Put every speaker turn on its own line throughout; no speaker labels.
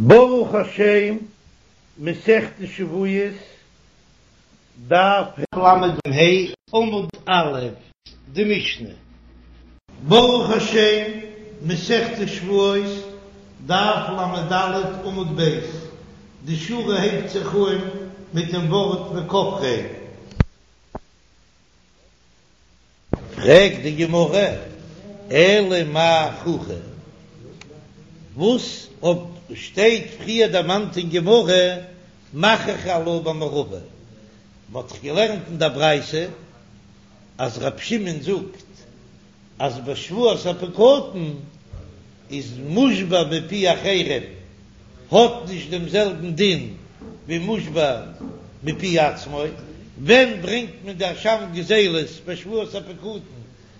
ברוך השם, מסכת שבועות, דף ל"ה, עמוד א', די משנה. ברוך השם, מסכת שבועות, דף ל"ד עמוד ב', די שורה הייבט זיך אן מיט דעם ווארט וכופרין. פרעגט די גמרא, אלא מאי חוכא, וואס האט שטייט פריער דערמאנט אין גמרא מכריחי עלה במערבא, מען האט דאך געלערנט אין דער ברייתא אז רב שמעון זאגט אז בשבועת הפקדון איז מושבע מפי אחרים האט נישט דעם זעלבן דין ווי מושבע מפי עצמו, ווען ברענגט מען די אשם גזילות בשבועת הפקדון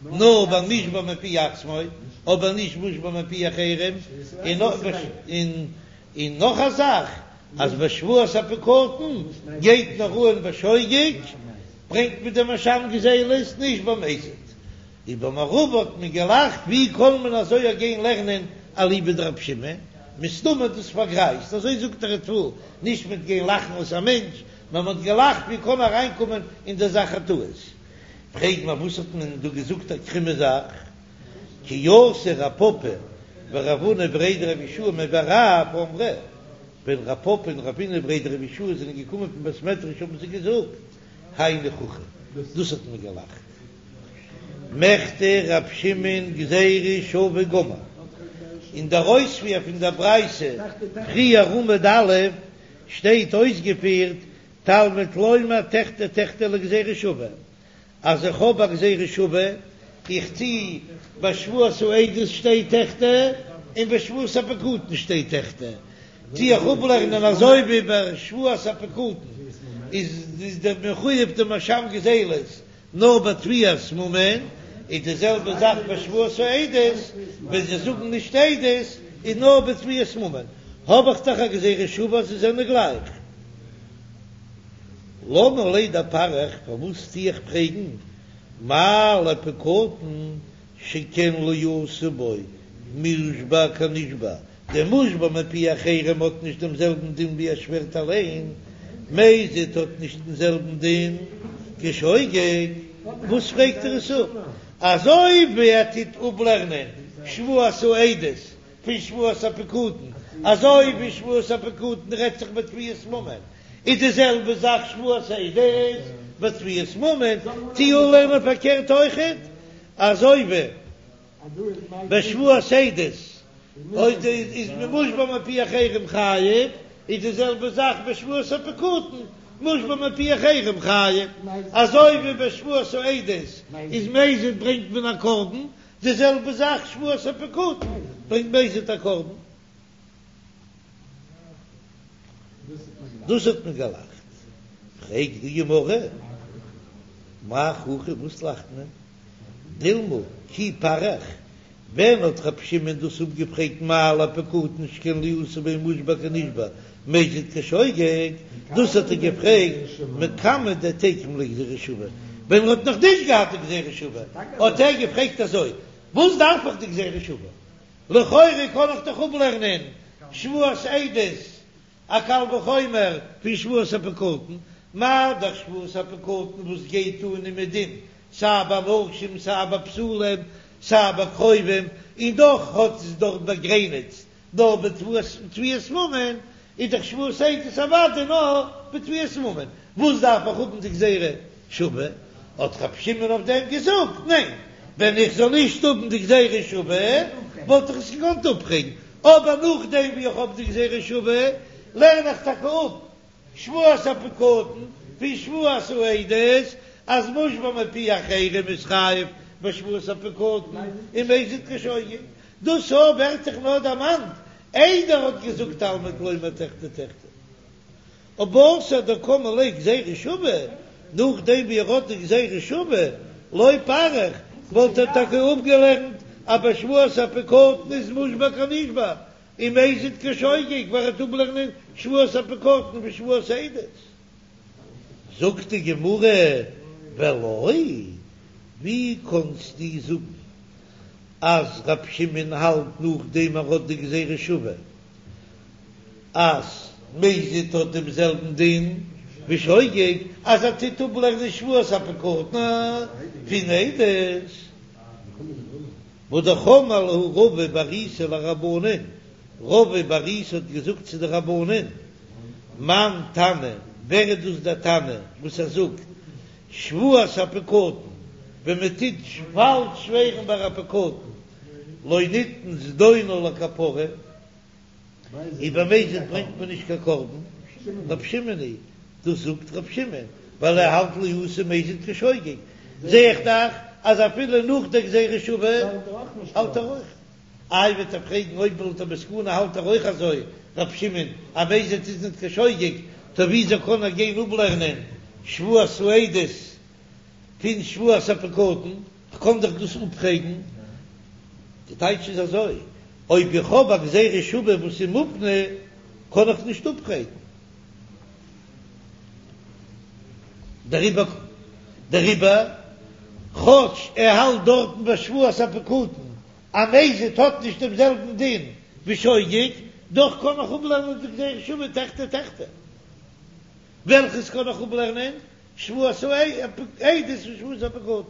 נאר ביי מושבע מפי עצמו אבער נישט מושבע מפי אחרים, און נאך א זאך אז בשבועת הפקדון גייט נאר אן בשוגג ברענגט מען דעם אשם גזילות נישט במזיד. ובמערבא האט מען געלאכט, ווי קען מען אזוי גיין לערנען אליבא דרב שמעון, מסתמא דאס פארגרייזט, אזוי זאגט דער ריטב"א, נישט מיט גיין לאכן אויס א מענטש, נאר מען האט געלאכט ווי קען אריינקומען אין דער זאך א טעות. פרעג מיר וואס האט מען דא געזאגט א קרומע זאך, כי אתא רב פפא ורב הונא בריה דרב יהושע מבי רב אמרי, ווען רב פפא און רב הונא בריה דרב יהושע זענען געקומען פון בית מדרש האבן זיי געזאגט, היינו חוכא, דאס האט מען געלאכט. מכדי רב שמעון גזירה שווה גמור, אין דער אויספיר פון דער ברייתא פריער עמוד א' שטייט אויסגעפירט תלמוד לומר תחדי תחדי לגזירה שווה, אז איך האב א גזירה שווה, איך טו ביי שבועת העדות שטייט תחדי און ביי שבועת הפקדון שטייט תחדי, טו איך אפלערנען אזוי ווי ביי שבועת הפקדון איז דער מחויב דעם אשם גזילות נאר ביי תביעת ממון איז די זעלבע זאך ביי שבועת העדות, ווען זיי זאגן נישט עדות איז נאר ביי תביעת ממון, האב איך דאך א גזירה שווה אז זיי זענען גלייך. למה לי דפריך, פארוואס טו איך פרעגן, מה לפקדון שכן לא עשו בו מושבע כנשבע, דער מושבע מפי אחרים האט נישט דעם זעלבן דין ווי ער שווערט אליין, מזיד האט נישט דעם זעלבן דין כשוגג, וואס פרעגט ער עס אפ? אזוי ווי ער טוט אפלערנען שבועת העדות פון שבועת הפקדון, אזוי ווי שבועת הפקדון רעדט זיך בתביעת ממון, איז די זעלבע זאך שבועת העדות בתביעת ממון, טו אפלערנען פארקערט אויכעט, אזוי ווי. בשבועת העדות אויב איז מען מושבע מפי אחרים חייב, איז די זעלבע זאך בשבועת הפקדון, מושבע מפי אחרים חייב, אזוי ווי בשבועת העדות איז מזיד ברענגט מען א קרבן, די זעלבע זאך שבועת הפקדון ברענגט מזיד א קרבן. דאס האט מען געלאכט. פרעגט די גמרא, מאי חוכא, וואס לאכט מען? דילמא כי פריך, ווען האט רב שמעון דאס אפגעפרעגט מה לפקדון שכן לא עשו בו מושבע כנשבע מזיד כשוגג, דאס האט ער געפרעגט מקמי דתיקם ליה גזירה שווה, ווען ער האט נאך נישט געהאט די גזירה שווה האט ער געפרעגט אזוי, וואס דארף איך די גזירה שווה, לכאורה קען איך דאך אפלערנען שבועת עדות א קל וחומר פון שבועת הפקדון, מה דאך שבועת הפקדון וואס גייט אן אומעדום סיי ביי נשים סיי ביי בתולים סיי ביי קרובים, און דאך האט עס דארט באגרעניצט נאר בתביעת ממון, איז דאך שבועת עדות אוודאי נאר בתביעת ממון, וואס דארף איך האבן די גזירה שווה? האט רב שמעון אויף דעם געזאגט, ניין, ווען איך זאל נישט האבן די גזירה שווה וואלט איך עס געקאנט אפפרעגן, אבער נאכדעם ווי איך האב די גזירה שווה לערן איך טאקע אפ שבועת הפקדון פון שבועת העדות אז מושבע מפי אחרים איז חייב בשבועת הפקדון און מזיד כשוגג. דאס אויך ווערט זיך נאר דערמאנט איידער ער האט געזאגט תלמוד לומר תחדי תחדי. אבער בתר דקאמר ליה גזירה שווה, נאכדעם ווי ער האט די גזירה שווה, לא פריך, וואלט ער טאקע אפגעלערנט אז בשבועת הפקדון איז מושבע כנשבע, און מזיד כשוגג ווייל ער טוט אפלערנען שבועת הפקדון פון שבועת העדות. זאגט די גמרא, ולא, ווי קאנסטו זאגן אז ר' שמעון האלט נאכדעם ער האט די גזירה שווה? אז מזיד האט דעם זעלבן דין ווי שוגג, אז ער טוט אפלערנען שבועת הפקדון פון עדות. והא אמר להו רבא בר ריסא לרבנן, רבא בר ריסא האט געזאגט צו די רבנן, מאן תנא, ווער איז דאס דער תנא וואס ער זאגט שבועת הפקדון, ווען מען טוט פאלש שווערן ביי א פקדון, לא ניתן זדונו לכפרה, און ביי מזיד ברענגט מען נישט קיין קרבן, רב שמעון היא, דאס זאגט רב שמעון ווייל ער האלט לא עשה מזיד כשוגג, זע איך דאך אז אפילו נאך דער גזירה שווה האלט ער אויך. איי וועט ער פרעגן אויב לויט דער מסקנא האלט ער אויך אזוי רב שמעון אז מזיד איז ניט קיין שוגג, טא וויאזוי קען ער גיין אפלערנען שבועת העדות פון שבועת הפקדון? כ'קען דאך דאס אפפרעגן. די טייטש איז אזוי, אויב איך האב א גזירה שווה וואס איז מופנה, קען איך נישט אפפרעגן. דעריבער, דעריבער, כאטש ער האלט דארטן ביי שבועת הפקדון אז מזיד האט נישט דעם זעלבן דין ווי שוגג, דאך קען איך אפלערנען די גזירה שווה תחטא תחטא. וועלכעס קען איך אפלערנען? שבועת העדות פון שבועת הפקדון.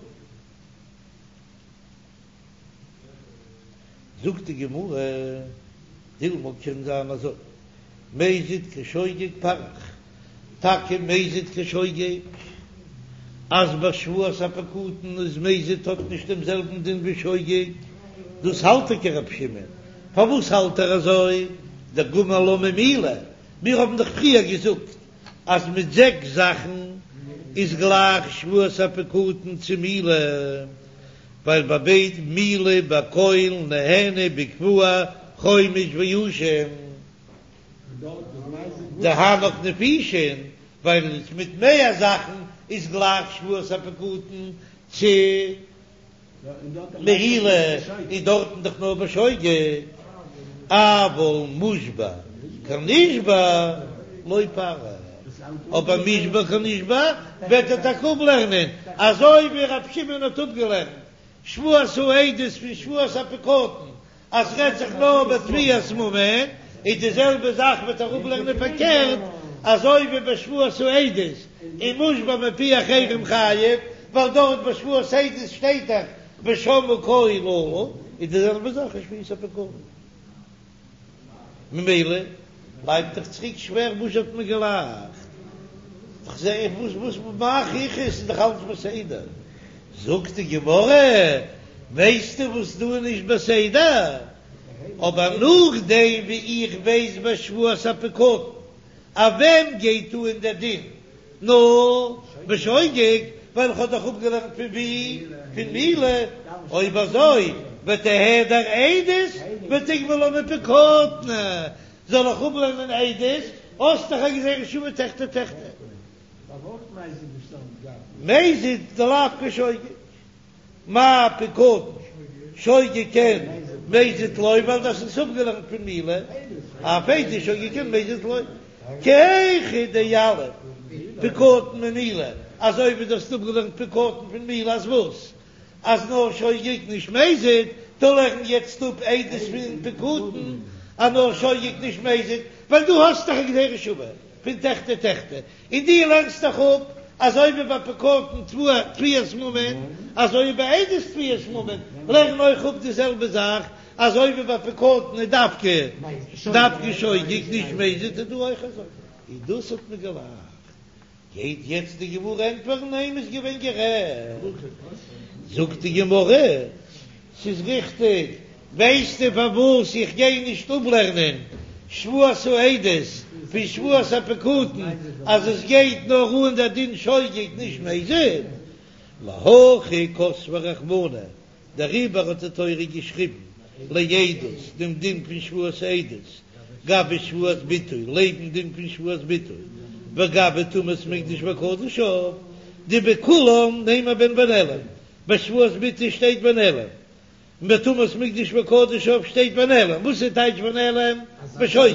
זאגט די גמרא, דילמא קען זיין אזוי, מזיד כשוגג פריך, טאקע מזיד כשוגג, אז ביי שבועת הפקדון איז מזיד האט נישט דעם זעלבן דין ווי שוגג, דאס האלט טאקע רב שמעון, פארוואס האלט ער אזוי? דגמר לה ממילה, מיר האבן דאך פריער געזאגט אז מיט זעקס זאכן איז גלייך שבועת הפקדון צו מילה, ווייל ביי ביידע מילה בכל נהנה בקבוע חומש ואשם דהנך נפישין, ווייל מיט מער זאכן איז גלייך שבועת הפקדון צו מעילה איז דארטן דאך נאר בשוגג, אבל מושבע כנשבע לא פריך, אבער מושבע כנשבע וועט ער טאקע אפלערנען אזוי ווי ר' שמעון האט אפגעלערנט שבועת העדות פון שבועת הפקדון אז ס'רעדט זיך נאר בתביעת ממון, איז די זעלבע זאך וועט ער אפלערנען פארקערט, אזוי ווי ביי שבועת העדות איז מושבע מפי אחרים חייב, ווייל דארט ביי שבועת העדות שטייט דאך ושמעו קול אלה, איז די זעלבע זאך אין שבועת הפקדון. ממילא בלייבט דאך צוריק שווער וואס האט מען געלאכט? כ'זע איך וואס וואס מאך איך עס איז דאך אלץ בסדר. זאגט די גמרא, ווייסטו וואס דא איז נישט בסדר? אבער נאכדעם ווי איך ווייס ביי שבועת הפקדון אויף וועם גייט אן דער דין נאר בשוגג, ווייל איך האב דאך אפגעלערנט פון ווי? פון מילה, אויב אזוי ותיהדר עדות ותיגבי לה מפקדון, זאל איך אפלערנען עדות, האסט דאך א גזירה שוה תחטא תחטא. מזיד דלאו כשוגג. מה פקדון שוגג אין מזיד לא ווייל דאס איז אפגעלערנט פון מילה אף עדות שוגג אין מזיד לא כי היכי דיליף פקדון ממילה אזוי ווי דו האסט אפגעלערנט פקדון פון מילה אז וואס אז נאר שוגג נישט מזיד טא לערן יעצט אפ עדות פון פקדון אז נאר שוגג נישט מזיד ווייל דו האסט דאך א גזירה שוה פון תחטא תחטא און דו לערנסט דאך אפ, אזוי ווי ביי פקדון תביעת ממון, אזוי ווי ביי עדות תביעת ממון, לערן אויך אפ די זעלבע זאך, אזוי ווי ביי פקדון איז דווקא דווקא שוגג נישט מזיד איז דא אויך אזוי, און דאס האט מען געלאכט. גייט יעצט די גמרא ענטפערן ניין מ'איז געווען גערעכט, זאגט די גמרא, ס'איז ריכטיג, ווייסטו פארוואס איך גיי נישט אפלערנען שבועת העדות פון שבועת הפקדון אז עס גייט נאר אן דער דין שוגג נישט מזיד? להכי כתביה רחמנא, דעריבער האט די תורה געשריבן לעדות דעם דין פון שבועת העדות גבי שבועת ביטוי לעבן דין פון שבועת ביטוי וגבי טומאת מקדש וקדשיו דבכולן נימא בהן ונעלם ביי שבועת ביטוי שטייט ונעלם און ביי טומאת מקדש וקדשיו שטייט ונעלם, וואס איז טייטש ונעלם? בשוגג,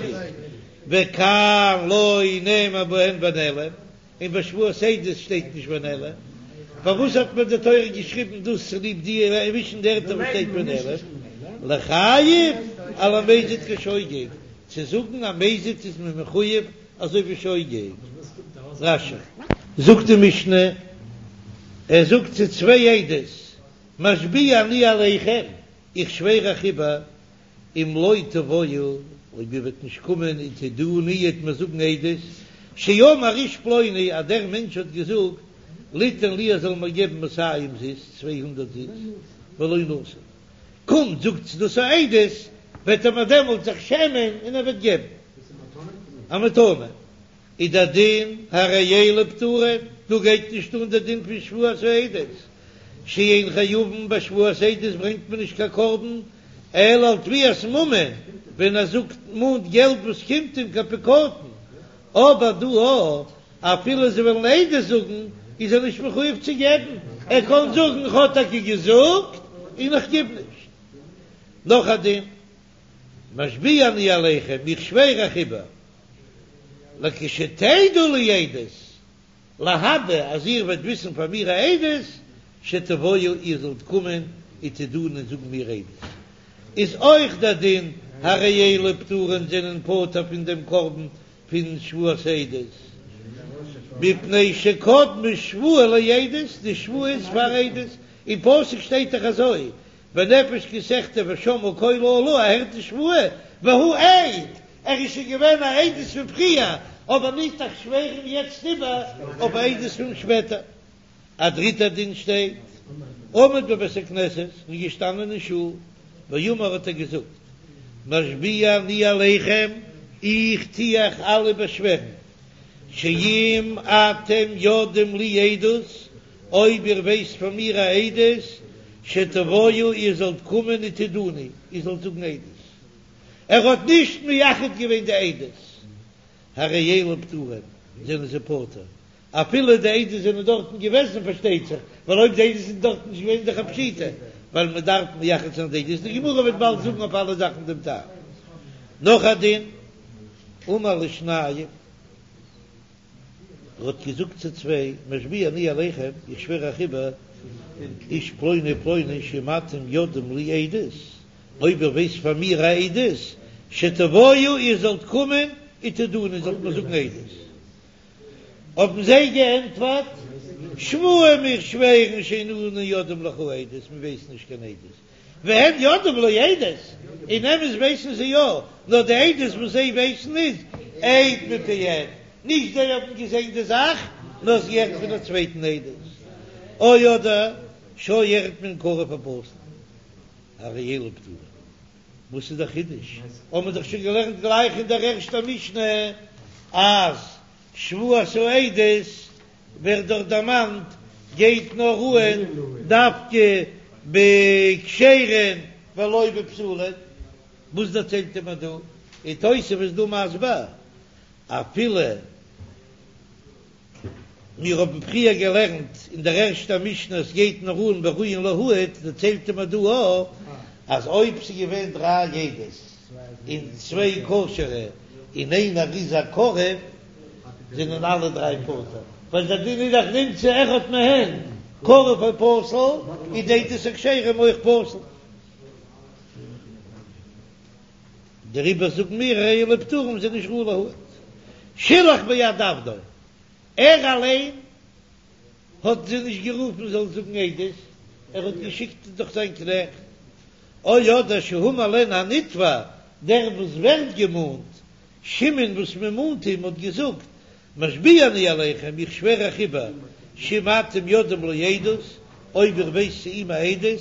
וכאן לא נאמר בהן ונעלם, און ביי שבועת עדות שטייט נישט ונעלם, פארוואס האט מיר די תורה געשריבן דאס צוליב די צווישן די ערטער וואס שטייט ונעלם? לחייב על המזיד כשוגג. צו זאגן א מזיד איז מען מחויב אזוי ווי שוגג. רש"י. זאגט די משנה, ער זאגט צו צוויי עדות, משביע אני עליכם, איך שווער אייך איבער, אם לא תבואו, אויב איר וועט נישט קומען ותעידוני איר וועט מיר זאגן עדות, שאמר איש פלוני, אז דער מענטש האט געזאגט, ליתן לי ער זאל מיר געבן מאתים זוז, 200 זוז, ולא נתן. קומט זאגטס דאס א עדות, וועט ער מיר דעמאלט זיך שעמען און ער וועט געבן א מתנה. איז דער דין הרי אלו פטורין, דא גייט נישט אן דער דין פון שבועת העדות, שאין חייבין בשבועת עדות ברענגט מען נישט קיין קרבן אלא על תביעת ממון, ווען ער זאגט מאנט געלט וואס קומט אים כפיקדון, אבער דא אפילו זיי וועלן עדות זאגן איז ער נישט מחויב צו געבן, ער קען זאגן איך האב טאקע געזאגט און איך גיב נישט. נאך א דין, משביע אני עליכם, איך שווער אייך איבער, לכשתדעו לי עדות, להבא אז איר וועט וויסן פאר מיר א עדות, שתבואו איר זאלט קומען ותעידוני און זאגן מיר עדות, איז אויך דער דין הרי אלו פטורין זענען פטור פון דעם קרבן פון שבועת העדות, מפני שקדמה שבועה לעדות, די שבועה איז פאר עדות, אין פסוק שטייט דאך אזוי, בנפש כי תחטא ושמעה קול האלה, ער הערט די שבועה, והוא עד, ער איז שוין געווען א עדות פון פריער, אבער נישט איך שווער אים יעצט איבער אויף א עדות פון שפעטער. א דריטער דין שטייט, עמד בבית הכנסת, איז געשטאנען אין שול, ואמר האט ער געזאגט, משביע אני עליכם, איך טו אייך אלע באשווערן, שאם אתם יודעים לי עדות, אויב איר ווייסט פון מיר א עדות, שתבואו איר זאלט קומען ותעידוני, איר זאלט זאגן עדות. ער האט נישט מייחד געווען די עדות, הרי אלו פטורין, זענען זיי פטור, אפילו די עדות זענען דארטן געוועזן פארשטייט זיך, ווייל אויב די עדות זענען דארטן נישט געווען איז דאך א פשיטא, ווייל מען דארף מייחד זיין די עדות, די גמרא וועט באלד זאגן אויף אלע זאכן דעם טעם. נאך א דין, אמר לשניים. ער האט געזאגט צו צוויי, משביע אני עליכם, איך שווער אייך איבער, איש פלוני ופלוני שאם אתם יודעים לי עדות, אויב איר ווייסט פאר מיר א עדות, שתבואו איר זאלט קומען ותעידוני און זאלט מיר זאגן עדות. האבן זיי געענטפערט, שבועה מיר שווערן שאין אנו יודעים לך עדות, מיר ווייסן נישט קיין עדות, והם יודעים לו עדות, אין אמת ווייסן זיי יא, נאר די עדות וואס זיי ווייסן איז עד מפי עד, נישט זיי האבן געזען די זאך, נאר עס געהערט פון א צווייטן עדות, או אדער שהיה אחד מהן קרוב או פסול, הרי אלו פטורין. וואס איז דער חידוש? האבן מיר דאך שוין געלערנט גלייך אין דער ערשטער משנה אז שבועת העדות ווערט דארט דערמאנט גייט נאר אן דווקא בכשרין ולא בפסולין, וואס דערציילט ער מיר דא? און תוספות איז דא מסביר אפילו מיר האבן פריער געלערנט אין דער ערשטער משנה עס גייט נאר אן בראויין להעיד, דערציילט ער מיר דא אויך אז אויב ס'איז געווען דריי עדות און צוויי כשר'ע און איינער איז א קרוב זענען אלע דריי פטור, ווייל דער דין איז דאך נמצא אחד מהן קרוב או פסול, איז די עדות הכשרים אויך פסול. דעריבער זאגן מיר הרי אלו פטורים זענען נישט ראוי להעיד. שילח ביד עבדו, ער אליין האט זיי נישט גערופן זאלן זאגן עדות, ער האט געשיקט דורך זיין קנעכט, או אדער שהאמר להן הנתבע, דער וואס ווערט געמאנט, שמעון וואס מען מאנט אים האט געזאגט, משביע אני עליכם, איך שווער אייך איבער, שאם אתם יודעים לו עדות, אויב איר ווייסט צו אים א עדות,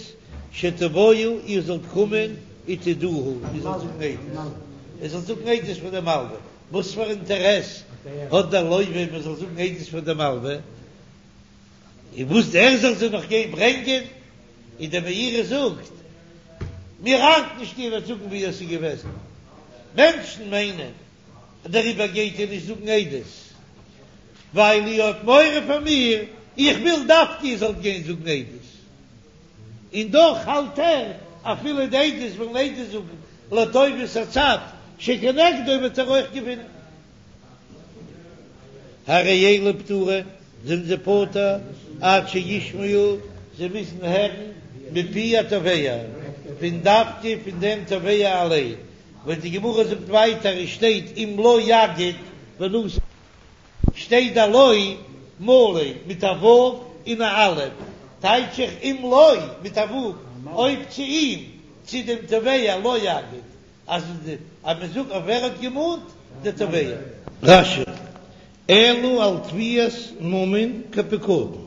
שתבואו, איר זאלט קומען, ותעידוהו, איר זאלט זאגן עדות, איר זאלט זאגן עדות פאר דעם מלווה, וואס פאר אינטערעס האט דער לווה מען זאל זאגן עדות פאר דעם מלווה, און וואס ער זאל זיי נאך גיין ברענגען, און דער מאירי זאגט, מיר ארט נישט איר וועט זאגן ווי עס איז געוועזן, מענטשן מיינען דעריבער גייט איר נישט זאגן עדות, ווייל איר האט מורא פאר מיר, איך וויל דווקא איר זאלט גיין זאגן עדות. און דאך האלט ער, אפילו די עדות וועלן עדות זאגן לטובת הצד שכנגדו וועט ער אויך געווינען. הרי אלו פטורין, זענען זיי פטור עד שישמעו, זיי מוזן הערן מפי התובע, פון דווקא פון דעם תובע אליין. ווען די גמרא זאגט ווייטער עס שטייט אם לא יגיד ונתן שטייט דער לא מלא מיט א ו' און א א', טייטש איך אם לו מיט א ו' אויב צו אים, צו דעם תובע לא יגיד, אז אז מען זאגט אויף ווער האט געמאנט, דער תובע. רש"י, אלא על תביעת ממון כפיקדון,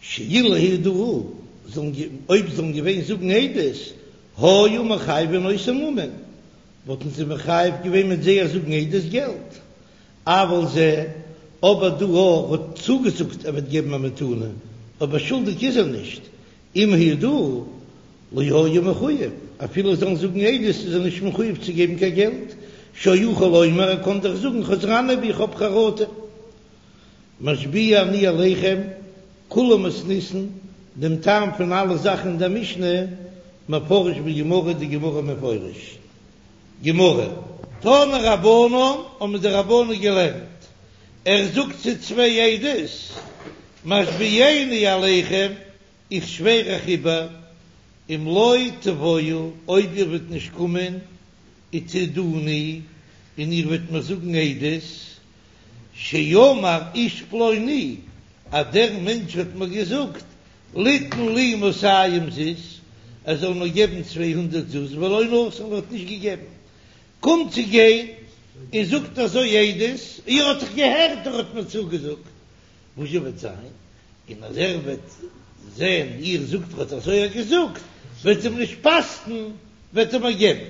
שאילו העידוהו, זאלן אויב זאלן געווען זאגן עדות, היו מחייבין אותו ממון, וואלטן זיי מחייב געווען מיט זייער זאגן עדות געלט, אבל זה, אבער דא ער האט צוגעזאגט ער וועט געבן א מתנה, אבער שולדיג איז ער נישט, אם העידוהו לא היה מחויב, אפילו זאלן זאגן עדות איז ער נישט מחויב צו געבן קיין געלט, שיכול לומר ער קען דאך זאגן חזרני בי איך האב חרטה. משביע אני עליכם, כולה מתניתין, דעם טעם פון אלע זאכן אין דער משנה, מפרש בגמרא, די גמרא מפרש. גמרא. תנו רבנן, האבן די רבנן געלערנט, ער זאגט צו צוויי עדות, משביעני עליכם, איך שווער אייך איבער, אם לא תבואו, אויב איר וועט נישט קומען, ותעידוני, און איר וועט מיר זאגן עדות, שאמר איש פלוני, אז דער מענטש האט מיר געזאגט, ליתן לי מאתים זוז, ער זאל מיר געבן 200 זוז, ולא נתן, און האט נישט געגעבן. קומט צו גיין און זאגט אזוי עדות, איר האט דאך געהערט ער האט מיר צוגעזאגט, וואס זשע וועט זיין? און אז ער וועט זען איר זאגט ער האט אזוי געזאגט, וועט אים נישט פאסטן, וועט ער מיר געבן.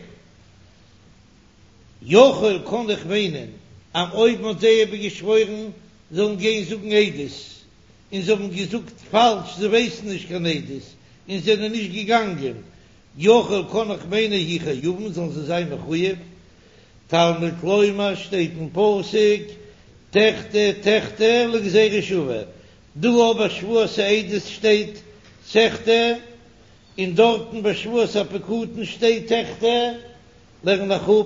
יכול קאן איך מיינען אז אויב מ'האט זיי איבערגעשוואוירן זאלן גיין זאגן עדות, און זיי האבן געזאגט פאלש זיי ווייסן נישט קיין עדות און זענען נישט געגאנגען, יכול קאן איך מיינען יהו חייבין זאלן זיי זיין מחויב. תלמוד לומר שטייט אין פסוק תחטא תחטא לגזירה שוה, דא אבער שבועת העדות שטייט תחטא און דארטן ביי שבועת הפקדון שטייט תחטא. לערן איך אפ,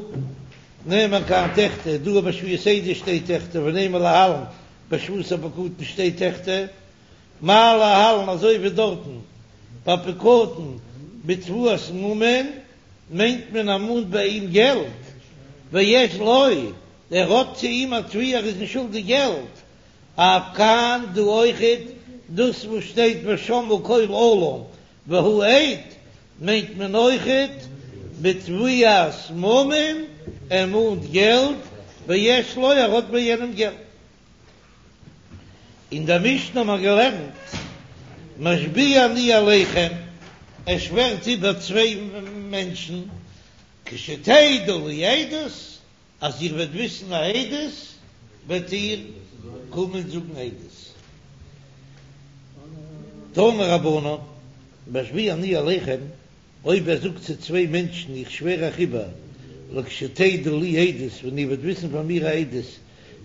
נאמר כאן תחטא, דא ביי שבועת העדות שטייט תחטא, ונאמר להלן ביי שבועת הפקדון שטייט תחטא, מה להלן אזוי ווי דארטן ביי פקדון בתבואת ממון מיינט מען ער מאנט ביי אים געלט, ויש לו, ער האט צו אים א תביעה ער איז אים שולדיג געלט, אף כאן דא אויכעט דאס וואס שטייט ושמעו קול אלה והוא עד מיינט מען אויכעט בתביעת ממון, ער מאנט געלט, ויש לו ער האט ביי יענעם געלט. אין דער משנה האט מען געלערנט משביע אני עליכם, ער שווערט איבער צוויי מענטשן, כשתדעו לי עדות, אז איר וועט וויסן א עדות, וועט איר קומען זאגן עדות. תנו רבנן, משביע אני עליכם, אויב ער זאגט צו צוויי מענטשן, איך שווער אייך איבער, לכשתדעו לי עדות, ווען איר וועט וויסן פאר מיר א עדות,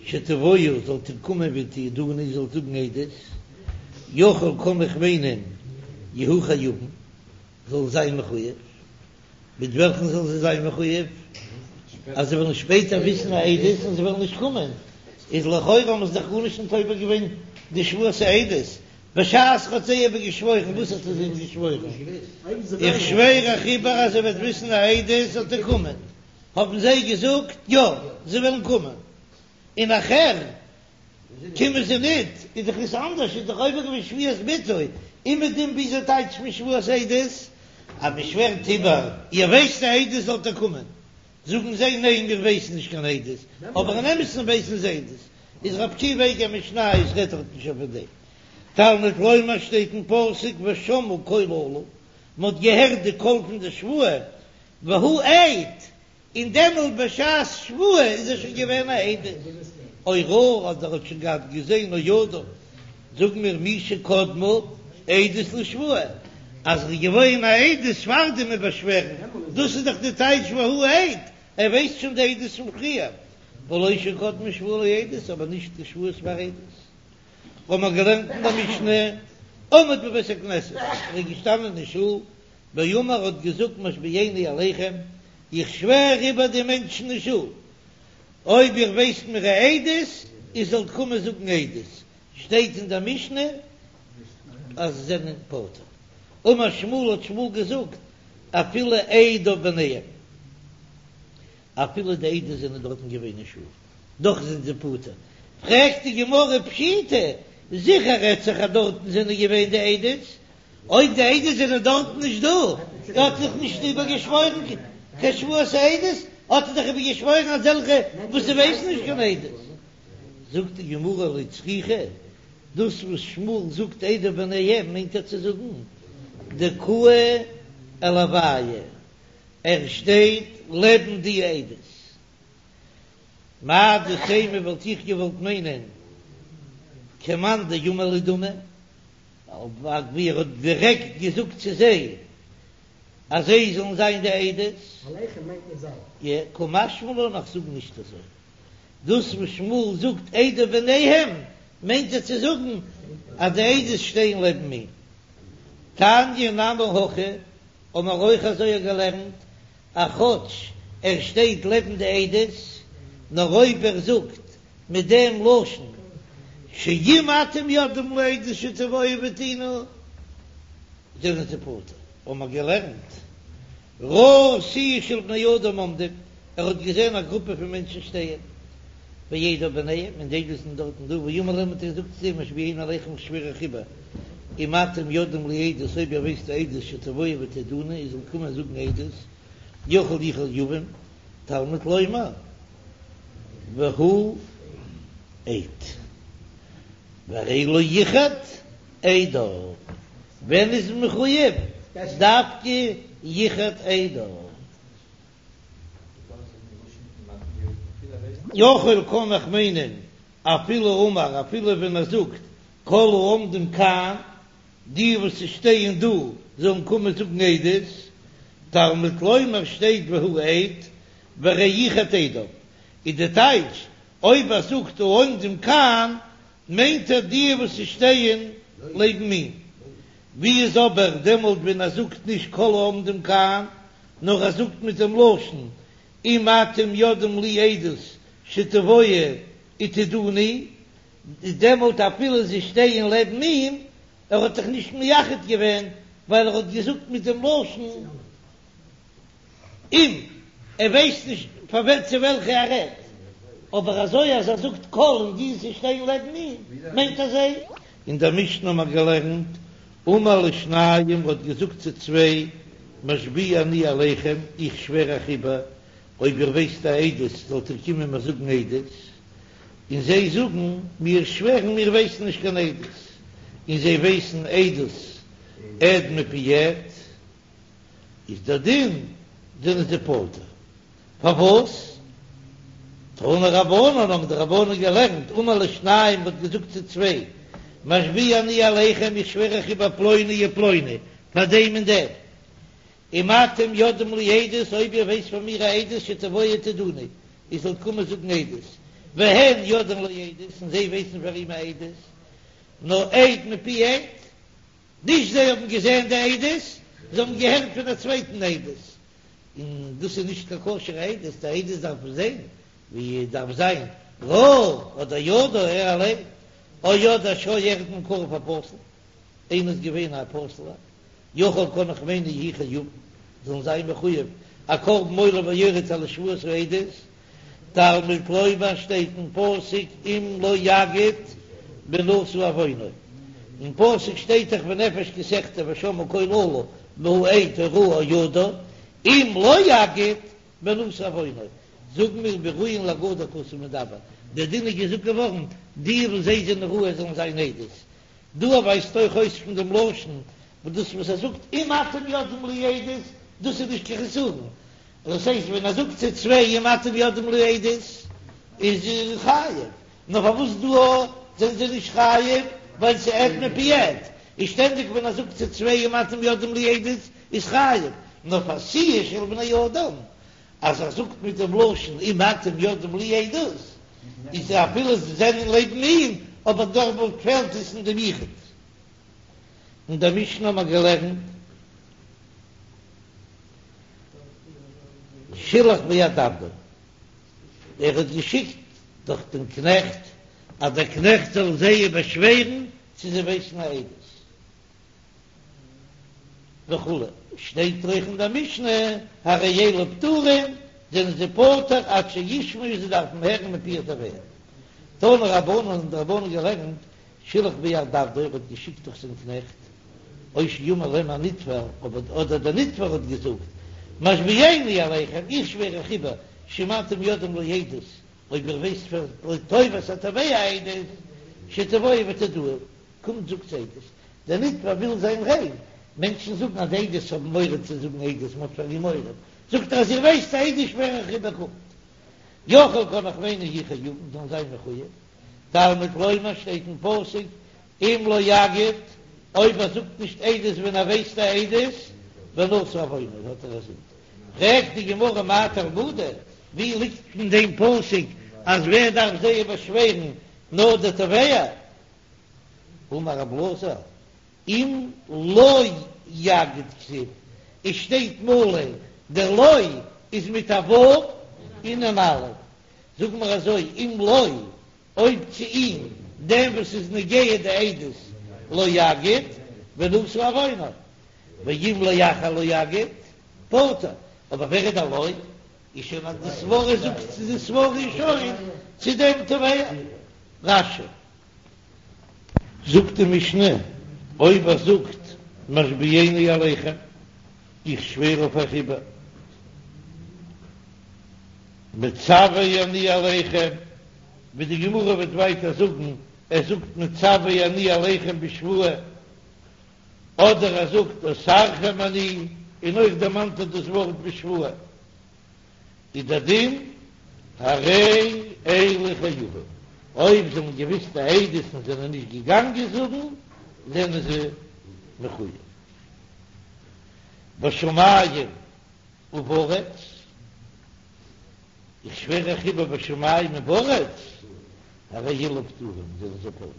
שתבואו, זאלט איר קומען ותעידוני, זאלט זאגן עדות, יכול קען איך מיינען, יהו חייבין, זאלן זיין מחויב. מיט וועלכן זאלן זיי זיין מחויב? אז זיי וועלן שפעטער וויסן א עדות און זיי וועלן נישט קומען, איז לכאורה האבן זיי דאך גארנישט נישט עובר געווען די שבועת העדות, בשעת ער האט זיי איבער געשוואוירן, וואס האט ער זיי געשוואוירן? איך שווער אייך איבער אז איר וועט וויסן א עדות זאלט איר קומען, האבן זיי געזאגט יא, זיי וועלן קומען, און נאכער קומען זיי ניט, איז דאך עס אנדערש, איז דאך עובר געווען שבועת ביטוי, אומעדום וויאזוי טייטשט מען שבועת עדות? אז מען שווערט איבער, איר ווייסט א עדות זאלט איר קומען, זאגן זיי ניין מיר ווייסן נישט קיין עדות, אבער אין אמת'ן ווייסן זיי עדות, איז רבי עקיבא איגר משניות רעדט דארט נישט אויף דעם. תלמוד לומר שטייט אין פסוק ושמעו קול אלה, מען האט געהערט די קול פון די שבועה, והוא עד, און דעמאלט בשעת שבועה איז ער שוין געווען א עד, או ראה אדער האט שוין געהאט געזען או ידע, זאג מיר מי שקדמה עדות לשבועה, אז ער איז געווען א עדות פאר דעם איבערשווערן, דאס איז דאך די טייטש והוא עד, ער ווייסט שוין די עדות פון פריער, ולא שקדמה שבועה לעדות, אבער נישט די שבועה פאר עדות. האבן מיר געלערנט אין דער משנה, עמד בבית הכנסת, ער איז געשטאנען אין שול, ואמר האט געזאגט משביעני עליכם, איך שווער איבער די מענטשן אין שול, אויב איר ווייסט מיר א עדות, איר זאלט קומען זאגן עדות, שטייט אין דער משנה אז זיי זענען פטור. אמר שמואל האט שמואל געזאגט, אפילו עדיו ביניהם. אפילו די עדות זענען דארטן געווען אין שול, דאך זענען זיי פטור. פרעגט די גמרא פשיטא, זיכער רעדט זיך אז דארטן זענען געווען די עדות, אויב די עדות זענען דארטן נישט דא, האט ער דאך נישט איבערגעשוואוירן קיין שבועת העדות, האט ער דאך איבערגעשוואוירן אזעלכע וואס זיי ווייסן נישט קיין עדות. זאגט די גמרא לא צריכא, דאס וואס שמואל זאגט עדיו ביניהם מיינט ער צו זאגן דקאי עילוייהו, ער שטייט לעבן די עדות. מהו דתימא וואלט איך געוואלט מיינען כמאן דאמר להו דמי, ווי ער האט דירעקט געזאגט צו זיי אז זיי זאלן זיין די עדות.
עליכם מיינט מיט זיי.
יא, קא משמע לן איך זאג נישט אזוי. דאס וואס שמואל זאגט עדיו ביניהם מיינט ער צו זאגן אז די עדות שטייען לעבן אים. תניא נמי הכי, האבן מיר אויך אזוי געלערנט, אז כאטש ער שטייט לעבן די עדות, נאר אויב ער זאגט מיט דעם לשון שאם אתם יודעים לעדות שתבואו ותעידו, זענען זיי פטור. האבן מיר געלערנט ראה סיעה של בני אדם עומדים, ער האט געזען א גרופע פון מענטשן שטייען, ועדיו ביניהם, און די עדות זענען דארטן דא, ואמר להם האט ער געזאגט צו זיי, משביעני עליכם איך שווער אייך איבער, אם אתם יודעים לי עדות, אויב איר ווייסט א עדות שתבואו ותעידוני, איר זאלט קומען זאגן עדות, יכול יהיו חייבים, תלמוד לומר, והוא עד. והרי לא ייחד עדיו, ווען איז מען מחויב? דווקא ייחד עדיו. יכול קען איך מיינען אפילו אמר אפילו ווען ער זאגט כל העומדים כאן, די וואס שטייען דא זאלן קומען זאגן עדות, תלמוד לומר שטייט והוא עד, והרי ייחד עדיו, איז די טייטש אויב ער זאגט העומדים כאן מיינט ער די וואס שטייען לעבן אים, ווי איז אבער דעמאלט ווען ער זאגט נישט כל העומדים כאן נאר ער זאגט מיט דעם לשון אם אתם יודעים לי עדות שתבואו ותעידוני, איז דעמאלט אפילו זיי שטייען לעבן אים, ער האט זיך נישט מייחד געווען ווייל ער האט געזאגט מיט דעם לשון אם, ער ווייסט נישט פאר ווער צו וועלכע ער רעדט, אבער אזוי אז ער זאגט כל און די וואס שטייען לעבן אים מיינט ער זיי. אין דער משנה האט מען געלערנט, אמר לשניים האט געזאגט צו צוויי, משביע אני עליכם, איך שווער אייך איבער, אויב איר ווייסט א עדות זאלט איר קומען מיר זאגן עדות, און זיי זאגן, מיר שווערן מיר ווייסן נישט קיין עדות, און זיי ווייסן עדות עד מפי עד. איז דער דין זענען זיי פטור. פארוואס? תנו רבנן האבן די רבנן געלערנט, אמר לשניים האט געזאגט צו צוויי, משביע אני עליכם איך שווער אייך איבער פלוני ופלוני פאר דעם און דעם, אם אתם יודעים לי עדות אויב איר ווייסט פאר מיר א עדות שתבואו ותעידוני איר זאלט קומען זאגן עדות, והן יודעים לו עדות און זיי ווייסן פאר אים א עדות, נאר עד מפי עד. נישט זיי האבן געזען די עדות, זיי האבן געהערט פון א צווייטן עדות, און דאס איז נישט קיין כשר'ע עדות, די עדות דארף מען זען ווי עס דארף זיין, ראה אדער ידע ער אליין, או ידע שהיה אחד מהם קרוב הפסול, איינער איז געווען א פסול'ער, יכול קען איך מיינען יהיו חייבים, זאלן זיין מחויב א קרבן עולה ויורד על שבועת העדות, תלמוד לומר שטייט אין פסוק אם לא יגיד ונשא עוונו, אין פסוק שטייט דאך ונפש כי תחטא ושמעה קול אלה והוא עד או ראה או ידע, אם לא יגיד ונשא עוונו, זאגן מיר בראויין להגדה הכתוב מדבר, דער דין איז געזאגט געווארן די וואס זיי זענען ראוי זאלן זיין עדות, דא ווייזט אויך אויס פון דעם לשון וואס דאס וואס ער זאגט אם אתם יודעים לי עדות דאס איז נישט קיין חסרון, דאס הייסט ווען ער זאגט צו צוויי אם אתם יודעים לי עדות איז ער חייב, נאר פארוואס דא זענען זיי נישט חייב ווייל ס'איז עד מפי עד, איז שטענדיג ווען ער זאגט צו צוויי אם אתם יודעים לי עדות איז חייב, נאר פאר סיעה של בני אדם אז ער זאגט מיט דעם לשון אם אתם יודעים לי עדות איז אפילו זיי זענען לעבן אים אבער דארט פעלט עס אין דעם יחוד. אין דער משנה האט מען געלערנט. שילח ביד עבדו, ער האט געשיקט דורך דעם קנעכט, אז דער קנעכט זאל זיי באשווערן צו זיי ווייסן א עדות וכו', שטייט אויך אין דער משנה, הרי אלו פטורים. זענען זיי פטור עד שישמעו זיי דארפן הערן מפי התובע. תנו רבנן האבן די רבנן געלערנט שילח ביד עבדו ער האט געשיקט דורך זיין קנעכט או שאמר להם הנתבע אדער דער נתבע האט געזאגט משביעני עליכם איך שווער אייך איבער שאם אתם יודעים לו עדות אויב איר ווייסט פאר לטובת התובע עדות שתבואו ותודוהו קומט זאגטס עדות דער נתבע וויל זיין ריין מענטשן זאגן אז עדות האבן מורא צו זאגן עדות מען האט פאר אים מורא זאגט ער אז איר ווייסט עדות שווער איך איבער קומט יכול קען איך מיינען יהו חייבין זאלן זיין מחוייב תלמוד לומר שטייט אין פסוק אם לא יגיד, אויב ער זאגט נישט עדות ווען ער ווייסט א עדות, ונשא עוונו האט ער א זינד. פרעגט די גמרא מאי תלמודא, ווי ליגט פון דעם פסוק אז ווער דארף זיי באשווערן נאר דער תובע? אמר רב אלעזר, אם לא יגיד כתיב, עס שטייט מלא, דער לא איז מיט א ו' און אן א', זאג מיר אזוי, אם לו, אויב צו אים, דעם וואס איז נוגע די עדות, לא יגיד, ונשא עוונו, ואם לאחר לא יגיד, פטור, אבער ווער איז דער לו? איז שוין אז די סברא זאגט צו די סברא איז שוין צו דעם תובע. רש"י. זאגט די משנה, אויב ער זאגט משביעני עליכם, איך שווער אויף אייך איבער, מצווה אני עליכם, ווי די גמרא וועט ווייטער זאגן, ער זאגט מצווה אני עליכם בשבועה, אדער ער זאגט אוסרכם אני, און אויך דערמאנט ער דאס ווארט בשבועה, איז דער דין הרי אלו חייבין, אויב זיי האבן געוויסט די עדות און זענען נישט געגאנגען זאגן, זענען זיי מחויב. בשמים ובארץ, איך שווער אייך איבער בשמים ובארץ, הרי אלו פטורים, זענען זיי פטור.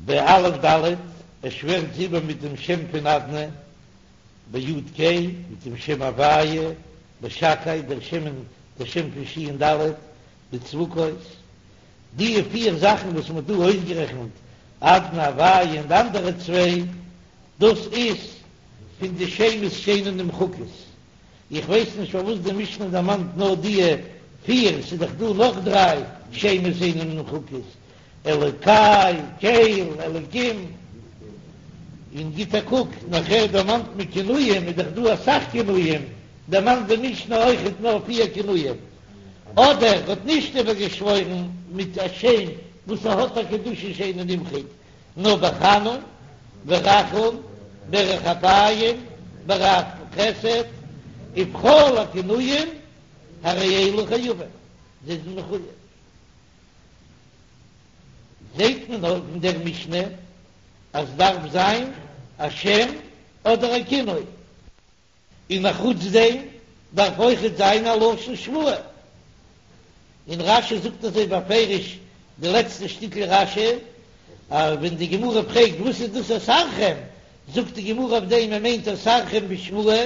באלף דלת, ער שווערט זיי איבער מיט דעם שם פון אדני, ביוד קי, מיט דעם שם הוויה, בשקי, דער שם און דער שם פון שין דלת, בצבקות, די פיר זאכן וואס מען האט דא אויסגערעכנט, אדני הוויה און די אנדערע צוויי, דאס איז פון די שמות שאינן נמחקות. איך ווייס נישט פארוואס די משנה דערמאנט נאר די פיר, ס'איז דאך דא נאך דריי שמות שאינן נמחקות, אלוקי, קל, אלוקים. און גיט א קוק, נאכער דערמאנט מען כינויים, איז דאך דא אסאך כינויים, דערמאנט די משנה אויכעט נאר פיר כינויים. אדער האט נישט איבערגעשוואוירן מיט א שם וואס ער האט א קדושה שאינו נמחק, נאר בחנון, ברחום, בארך אפים, ברב חסד, ובכל הכינויים הרי אלו חייבים, זיי זענען מחויב. זעט מען אויך אין דער משנה אז דארף זיין א שם אדער א כינוי. און אחוץ דעם דארף אויכעט זיין א לשון שבועה, און רש"י זאגט אזוי בפירוש די לעצטע שטיקל רש"י, אז ווען די גמרא פרעגט וואס איז דאס אוסרכם, זאגט די גמרא אויף דעם מען מיינט אוסרכם בשבועה,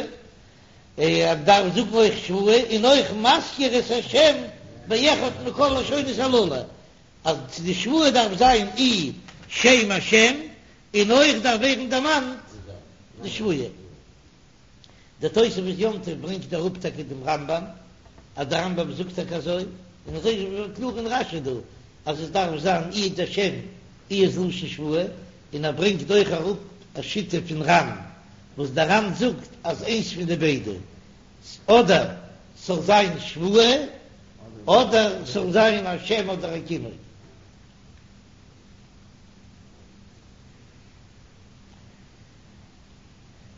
ער דארף זאגן אויך שבועה, און אויך מזכיר את השם באחד מכל לשונות הללו, אז די שבועה דארף זיין אי שם השם, און אויך דארף ווערן דערמאנט די שבועה. דער תוספות יום טוב ברענגט אראפ טאקע דעם רמב"ם, אז דער רמב"ם זאגט טאקע אזוי, און אזוי איז קלאר אין רש"י דא, אז עס דארף זיין אי דער שם אי איז לשון שבועה, און ער ברענגט אויך אראפ א שיטה פון ר"ן, וואס דער ר"ן זאגט אז איינס פון די ביידע, אדער ס'זאל זיין שבועה, אדער ס'זאל זיין א שם אדער א כינוי.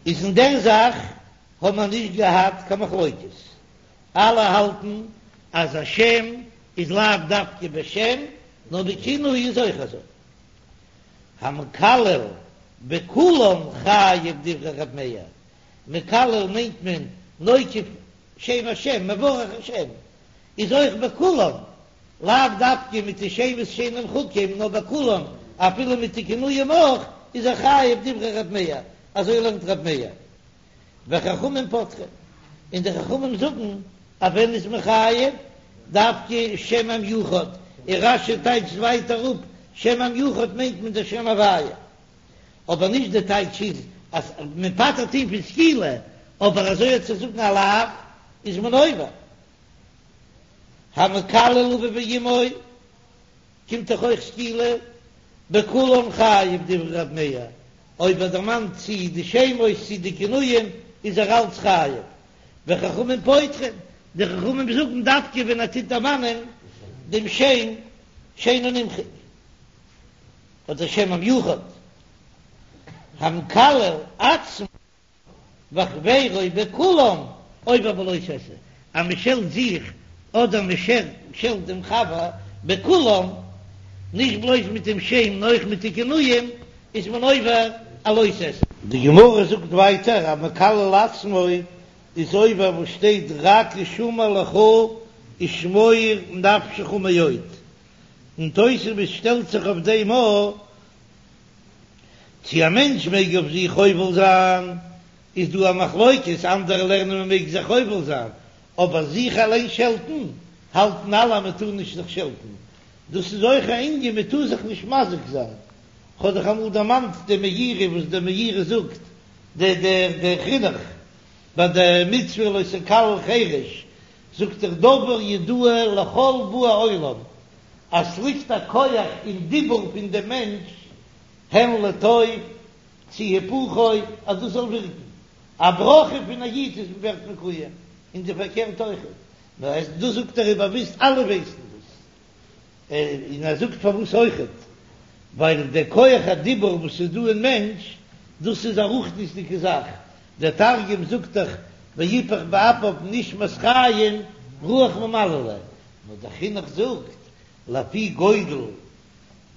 איז אין דער זאך האט מען נישט געהאט קיין מחלוקת, אלע האלטן אז א שם איז לאו דווקא בשם, נאר בכינוי איז אויך אזוי. המקלל בכולם חייב דברי ר' מאיר, מקלל מיינט מען נוקב שם השם, מברך השם, איז אויך בכולם, לאו דווקא מיט די שמות שאינם נמחקים, נאר בכולם, אפילו מיט די כינויים אויך, איז ער חייב דברי ר' מאיר, אזוי לערנט ר' מאיר. וחכמים פוטרים, און די חכמים זאגן אז ווען איז מען חייב? דווקא שם המיוחד, און רש"י טייטשט ווייטער אפ, שם המיוחד מיינט מען דער שם הוויה. אבער נישט די טייטש איז אז מען פטר'ט אים פון סקילה, אבער אזוי צו זאגן א לאו איז מען עובר. המקלל אביו ואמו קומט דאך אויך סקילה, בכולן חייב דברי רב מאיר, אויב ער דערמאנט צי די שמות צי די כינויים איז ער אלץ חייב, וחכמים פוטרין, די חכמים זאגן דווקא ווען ער טוט דערמאנען דעם שם שאינו נמחק, אדער שם המיוחד, המקלל עצמו וחבירו בכולם עובר בלא תעשה, אז מען שעלט זיך אדער מען שעלט דעם חבר בכולם, נישט בלויז מיט דעם שם נאר אויך מיט די כינויים, איז מען עובר א לא תעשה. די גמרא זאגט ווייטער אז מקלל עצמו איז עובר וואס שטייט רק השמר לך ושמור נפשך מאוד, און תוספות שטעלט זיך אויף דעם א צו א מענטש מעג אויף זיך חובל זיין, איז דא א מחלוקת, אנדערע לערנען מען מעג זיך חובל זיין, אבער זיך אליין שעלטן, האלטן אלע אז מען טאר נישט זיך שעלטן, דאס איז אויך א ענין מען טאר זיך נישט מזיק זיין, כ'האב דאך אמאל דערמאנט די מאירי וואס די מאירי זאגט, דער דער דער חינוך ביי די מצוה לא תקלל חרש, זאגט ער דבר ידוע לכל באי עולם, אז ס'ליגט א כח אין דיבור פון דעם מענטש, הן לטוב צי היפוכו, אז דאס זאל ווירקן. א ברכה פון א איד איז ווערט מקוים, און די פארקערט אויכעט. נאר עס דאס זאגט ער איז באוויסט אלע ווייסן דאס. און ער זאגט פארוואס אויכעט, ווייל דער כח הדיבור וואס איז דא אין מענטש, דאס איז א רוחניות'דיגע זאך, דער תרגום זאגט דאך ויפח באפיו נשמת חיים רוח ממללא, נאר דער חינוך זאגט לפי גודל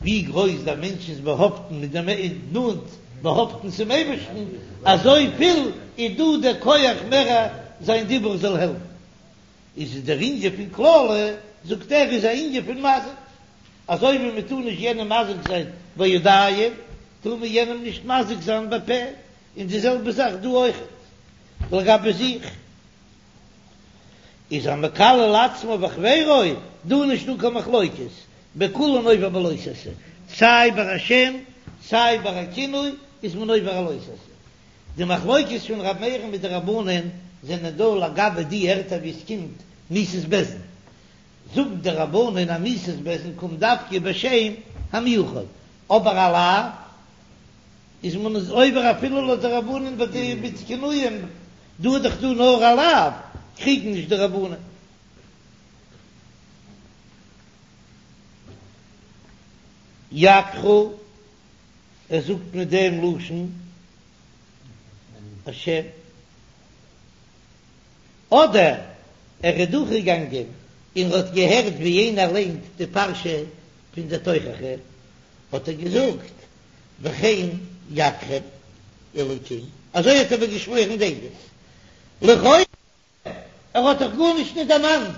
ווי גרויס דער מענטש איז באהאפטן מיט דעם נאנט באהאפטן צום אייבערשטן, אזוי פיל איז דא דער כח מער זיין דיבור זאל העלפן. איז דער ענין פון קללה, זאגט ער, איז א ענין פון מזיק, אזוי ווי מען טאר נישט יענעם מזיק זיין בידיים, טאר מען יענעם נישט מזיק זיין בפה, און די זעלבע זאך דא אויכעט לגבי זיך. איז המקלל עצמו וחבירו, דא נישט דא קיין מחלוקת, בכולן עובר בלא תעשה, סיי ביי א שם סיי ביי א כינוי איז מען עובר א לא תעשה. די מחלוקת פון ר' מאיר'ן מיט די רבנן זענען דא לגבי די ערטער ווי עס קומט מיתת בית דין, זאגן די רבנן אז מיתת בית דין קומט דווקא בשם המיוחד, אבער א לאו איז מען עובר אפילו לויט די רבנן ביי די מיט כינויים, דא איז דאך דא נאר א לאו, קריגן נישט די רבנן. יכך, ער זאגט מיט דעם לשון השם, אדער ער איז דורכגעגאנגען און האט געהערט ווי איינער ליינט די פרשה פון די תוכחה, האט ער געזאגט וכן יככם אלוקים, אזוי האט ער געשוואוירן די עדות, לכאורה ער האט דאך גארנישט נישט דערמאנט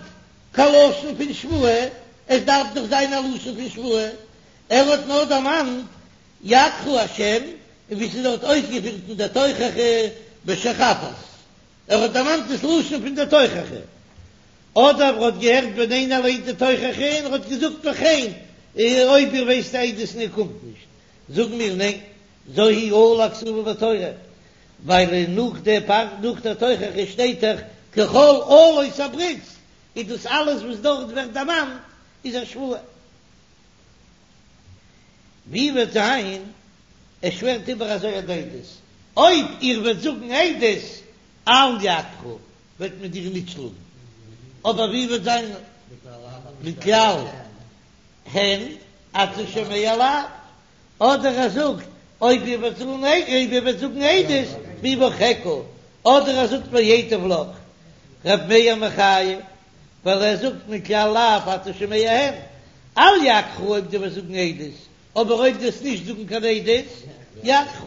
קיין לשון פון שבועה, עס דארף דאך זיין א לשון פון שבועה, ער האט נאר דערמאנט יככה השם, און ווי ס'איז דארט אויסגעפירט אין דער תוכחה בשחפת, ער האט דערמאנט דאס לשון פון דער תוכחה, אדער ער האט געהערט ווען איינער ליינט די תוכחה און ער האט געזאגט וכן, אויב איר ווייסט עדות און איר קומט נישט, זאגן מיר ניין, זו היא אלה הכתובה בתורה, ווייל נאך די פר' נאך דער תוכחה שטייט דאך ככל אלות הברית, איז דאס אלעס וואס דארט ווערט דערמאנט איז א שבועה. ווי וועט זיין ער שווערט איבער אזוי די עדות, אויב איר וועט זאגן עדות אל יכך וועט מען דיר ניט שלאגן, אבער ווי וועט זיין מכלל הן אתה שומע לאו, אדער ער זאגט אויב איר וועט זאגן אויב איר וועט זאגן עדות ואברכך, אדער ער זאגט וייטב לך, ר' מאיר מחייב, ווייל ער זאגט מכלל לאו אתה שומע הן, אל יכך אויב דו וועסט זאגן עדות, אבער אויב דו וועסט נישט זאגן קיין עדות, יכך.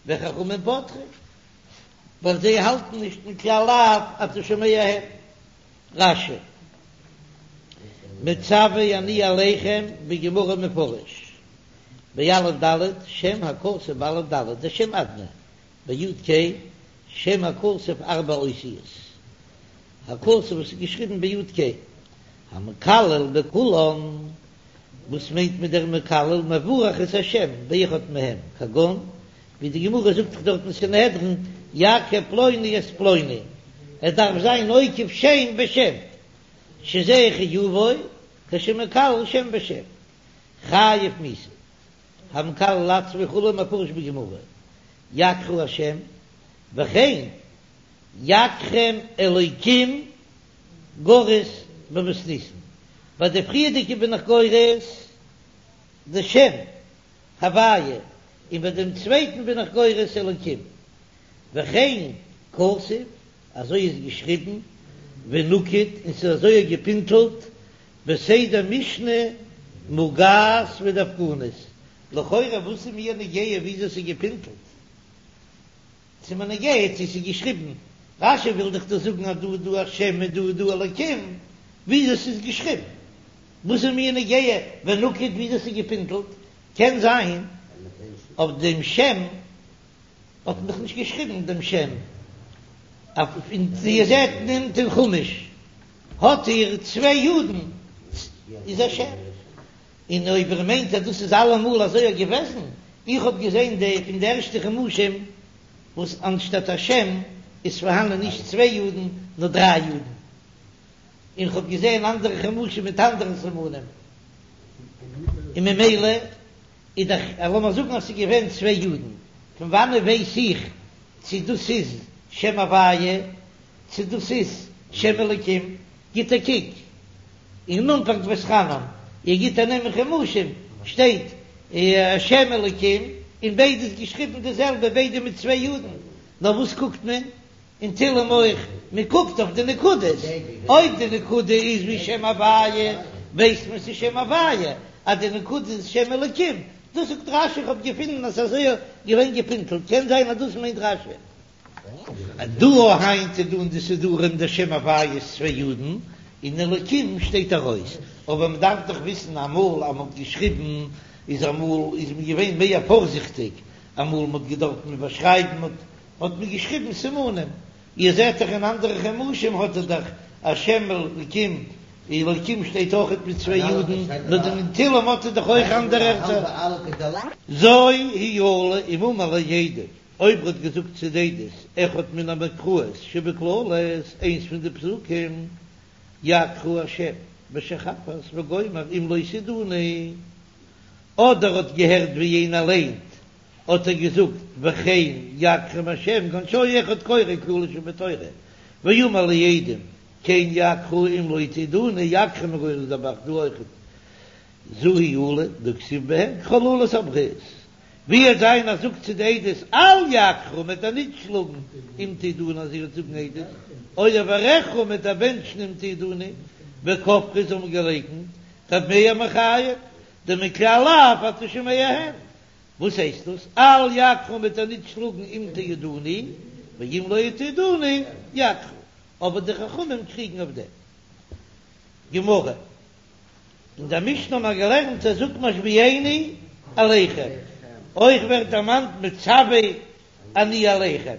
וחכמים פוטרים, ווייל זיי האלטן נישט מכלל לאו אתה שומע הן. רש"י, מצוה אני עליכם בגמרא מפרש, באלף ד' שם הכתוב באלף ד' דער שם אדני, ביוד ק' שם הכתוב ארבע אותיות, הכתוב וואס איז געשריבן ביוד ק', המקלל בכולן, וואס מיינט מען דער מקלל מברך את השם באחד מהם, כגון ווי די גמרא זאגט דאך דארט אין סנהדרין. יכה פלוני את פלוני, ער דארף זיין עוקף שם בשם, שזה חיובו כשמקלל שם בשם, חייב מיתה, המקלל עצמו וכו' מפורש בגמרא, יכך השם, וכן יככם אלוקים גורס במתניתין, ביי די פריערדיגע בין איך גורס די שם הוויה, און ביי דעם צווייטן בין איך גורס אלוקים, וכן כתוב, אזוי איז געשריבן, ונקוד, און ס'איז אזוי געפינטלט, בסדר משנה מוגהת ודווקנית, לכאורה וואס איז מיר נוגע וויאזוי ס'איז געפינטלט? ס'איז מיר נוגע צו ס'איז געשריבן, רש"י וויל דאך דא זאגן אז דא איז דא א שם און דא איז דא אלוקים, וויאזוי ס'איז געשריבן? וואס איז מיר נוגע ונקוד וויאזוי ס'איז געפינטלט? קען זיין אויף דעם שם האט מען דאך נישט געשריבן דעם שם, אויף איר זעט נעמט אין חומש האט איר צוויי יודן איז א שם, און אויב איר מיינט אז דאס איז אלעמאל אזוי געוועזן, איך האב געזען די פון די ערשטע חומשים וואס אנשטאט א שם איז פארהאנען נישט צוויי יודן נאר דריי יודן, און כ'האב געזען אנדערע חומשים מיט אנדערע סימנים, און ממילא איז דאך לאמיר זאגן אז ס'איז געווען צוויי יודן, פון וואנעט ווייס איך צו דאס איז שם הוויה צו דאס איז שם אלוקים? גיט א קוק אין אנפאנג ואתחנן, איר גיט א נעם אין חומשים שטייט שם אלוקים און ביידע איז געשריבן די זעלבע ביידע מיט צוויי יודן, נאר וואס קוקט מען? אין תהלים אויך, מען קוקט אויף די נקודות, אויב די נקודה איז ווי שם הוויה, ווייסט מען ס'איז שם הוויה, אז די נקודה איז שם אלוקים, דאס זאגט רש"י, איך האב געפינען אז ס'איז אזוי געווען געפינטלט, קען זיין אז דאס מיינט רש"י. דא היינט איז דא אין די סידורים דער שם הוויה איז צוויי יודן, און אלוקים שטייט ארויס, אבער מען דארף דאך וויסן אמאל אז מען האט געשריבן איז אמאל איז מען געווען מער פארזיכטיג, אמאל מען האט געדארפט איבערשרייבן האט האט מען געשריבן סימנים, איר זעט דאך אין אנדערע חומשים האט ער דאך א שם אלקים, אלקים שטייט אויכעט מיט צוויי יודן, נאר אין תהלים האט ער דאך אויך אנדערע ערטער. זו היא אלה אם אמר לעדים, אויב ער האט געזאגט צו די עדות אחד מן המקראות שבקללות, איינס פון די פסוקים, יכך השם בשחפת וגומר אם לא תעידוני, אדער האט געהערט ווי איינער ליינט האט ער געזאגט וכן יככם השם כגון שהיה אחד קורא קללה שבתורה ואמר לעדים כן יככה אם לא תעידוני יככם גורס דער ב"ח דא אויכעט זו היא אלה דכתיב בהן ככל אלות הברית ווי עס זיין אז זאגט צו די עדות אל יככה מ'וועט דיר ניט שלאגן אם תעידוני אז איר וועט זאגן עדות או אברכך מ'וועט דיר בענטשן אם תעידוני וכפרו זיי האבן געלייקנט ר' מאיר מחייב דמכלל לאו אתה שומע הן וואס הייסט דאס? אל יככה מ'וועט דיר ניט שלאגן אם תעידוני, ואם לא תעידוני יככה. אבער די חכמים קריגן אויף דעם. גמרא, אין דער משנה האבן מיר געלערנט ער זאגט משביעני עליכם, אויך ווערט דערמאנט מצוה אני עליכם.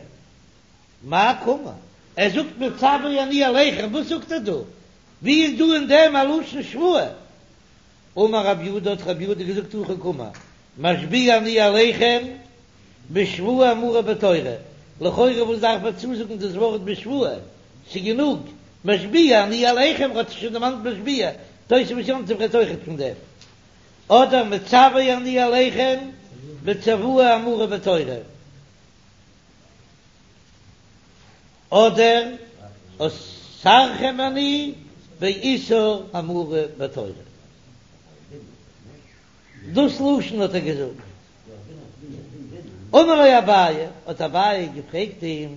מאי קאמר? ער זאגט מצוה אני עליכם, וואס זאגט ער דא? ווי איז דא אין דעם א לשון שבועה? אמר רב יהודה האט רב יהודה געזאגט הכי קאמר משביע אני עליכם בשבועה האמורה בתורה, לכאורה וואס דארף מען צוזאגן דאס ווארט בשבועה, ס'גענוג משביע אני עליכם האט זיך שוין דערמאנט משביע, תוספות יום טוב רעדט אויכעט פון דעם, אדער מצוה אני עליכם בצוואה האמורה בתורה. אדער אוסרכם אני באיסור האמור בתורה. דאס לשון האט ער געזאגט. אמר ליה אביי, האט אביי געפרעגט אים,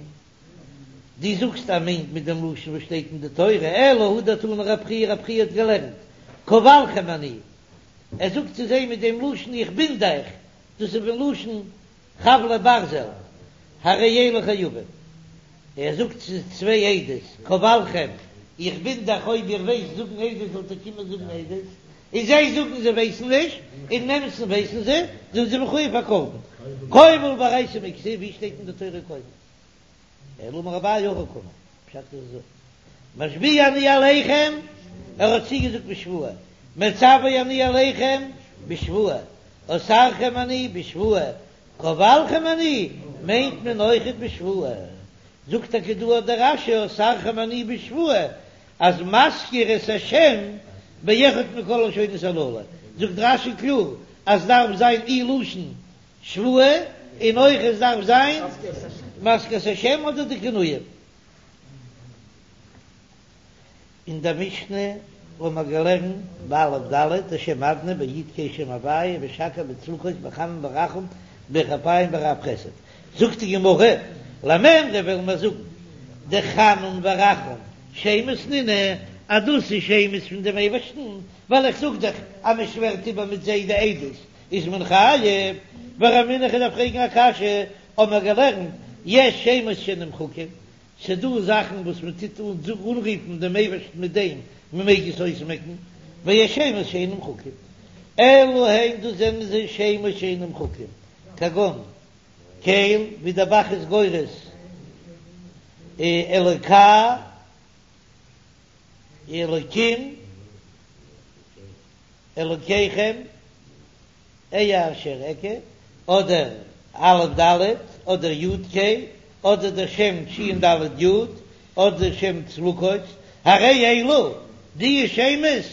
דו זאגסט ער מיינט מיט דעם לשון וואס שטייט אין די תורה, אלא הא דתני רב חייא, רב חייא האט געלערנט, כבלכם אני, ער זאגט צו זיי מיט דעם לשון איך בינד אייך, דאס איז פון לשון חבלי ברזל, הרי אלו חייבים. ער זאגט צו צוויי עדות, כבלכם, איך בינד אייך אויב איר ווייסט זאגן עדות זאלט איר קומען זאגן עדות, און זיי זאגן זיי ווייסן נישט, אין אמת'ן ווייסן זיי, זענען זיי מחויב א קרבן. כובל באורייתא מי כתיב, ווי שטייט אין די תורה כובל? אלא אמר אביי הכי קאמר, פשט איז אזוי, משביע אני עליכם, ער האט צוגעזאגט בשבועה, מצוה אני עליכם בשבועה, אוסרכם אני בשבועה, כובלכם אני. מיינט מען אויכעט בשבועה. זאגט טאקע דא דער רש"י אסרכם אני בשבועה אז מזכיר את השם באחד מכל הלשונות הללו, זאגט רש"י קלאר אז דארף זיין אי לשון שבועה און אויך עס דארף זיין מזכיר את השם אדער די כינויים. אין דער משנה האבן מיר געלערנט באלף ד' השם אדני ביו"ד ק"א שם הוויה בשקי בצבקות בחנון ברחום בארך אפים ברב חסד, זאגט די גמרא, למימרא וועלן מיר זאגן דחנון ורחום שמות נינהו אז דאס איז שמות פון דעם אייבערשטן, ווייל איך זאג דאך אז מען שווערט איבער מיט זיי די עדות איז מען חייב, ורמינהו איך דארף פרעגן א קשיא, האבן מיר געלערנט יש שמות שנמחקים, ס'דא זאכן וואס מען טוט אנרופן דעם אייבערשטן מיט דעם, מען מעג עס אויסמעקן, ויש שמות שאין נמחקים, אלו הן דאס זענען זיי שמות שאין נמחקים, כגון קל, ווי דער ב"ח איז גורס אלוקי, אלוקים, אלוקיכם. אהיה אשר אקיה, אדער א' ד', אדער י' ק', אדער דער שם ש' ד' י', אדער דער שם צבקות, הרי אלו, די שמות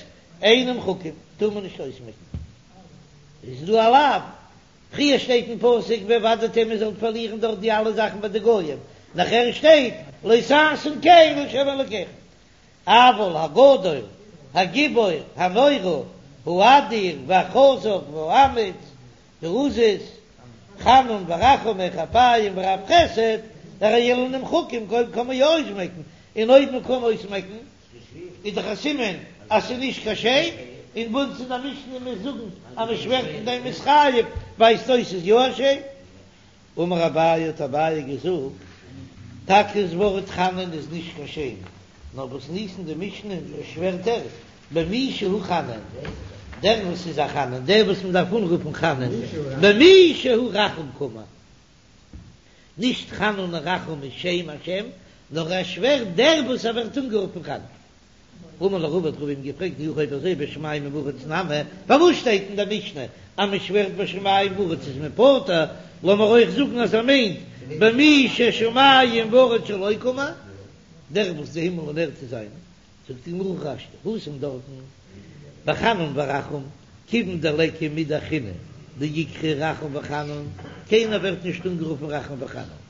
אין נמחקים, טאר מען נישט אויסמעקן. איז דא א לאו, פריער שטייט אין פסוק ואבדתם איר זאלט פארלירן דארט די אלע זאכן ביי די גויים, נאכער שטייט לא תעשון כן לה' אלקיכם. אבל הגדול, הגיבור, הנורא, האדיר, והחזק, והאמיץ, העזוז, חנון ורחום ארך אפים ורב חסד, הרי אלו נמחקים קען מען יא אויסמעקן, און אויב מען קען אויסמעקן איז דאך א סימן אז ס'איז נישט קיין שם, און ביי אונז אין די משנה מיר זאגן אז מען שווערט אין דעם איז חייב, ווייזט אויס ס'איז יא א שם. אמר אביי האט אביי געזאגט, טאקע דאס ווארט חנון איז נישט קיין שם, נאר במתניתין די משנה שווערט ער במי שהוא חנון, דער וואס איז א חנון, דער וואס מען דארף אנרופן חנון, במי שהוא רחום קאמר, נישט חנון און רחום איז שם השם, נאר ער שווערט דער וואס ער ווערט אנגערופן חנון. אמר ליה רבא האט רבא אים געפרעגט אי הכי אויב אזוי בשמים ובארץ נמי, פארוואס שטייט אין דער משנה אז מען שווערט בשמים ובארץ איז מען פטור, לאמיר אויך זאגן אז ער מיינט במי ששמים וארץ שלו קאמר, דער וואס די הימל און ערד איז זיינע, זאגט די גמרא הכי השתא התם דארטן בחנון ורחום כיוון דליכא מידי אחרינא דאיקרי רחום וחנון, קיינער ווערט נישט אנגערופן רחום וחנון.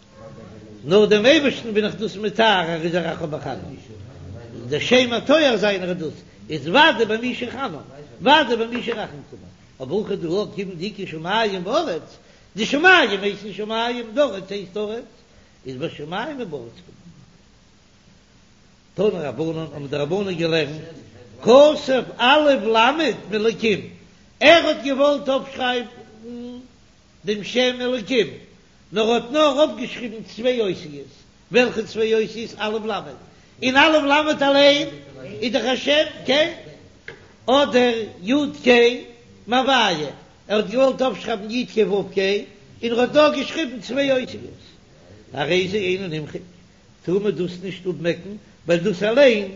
נאר דעם אייבערשטן בין איך דאס מתאר, ער איז א רחום וחנון, דער שם התואר זיינער איז דאס, איז ודאי במי שחנון, ודאי במי שרחום קאמר, אבער הכא דא כיוון דאיכא שמים וארץ, די שמים הייסן שמים, די ארץ הייסט ארץ, איז בשמים ובארץ קאמר. תנו רבנן האבן די רבנן געלערנט, כתב א' למד מאלקים, ער האט געוואלט אויפשרייבן דעם שם אלקים, נאר האט נאר אויפגעשריבן צוויי אותיות, וועלכע צוויי אותיות? א' למד, און א' למד אליין איז דאך א שם קל, אדער י' ק' מהוויה, ער האט געוואלט אויפשרייבן י' ק' ו' ק', און ער האט נאר געשריבן צוויי אותיות, הרי זה אינו נמחק, טאר מען דאס נישט אפמעקן, ווייל דאס אליין,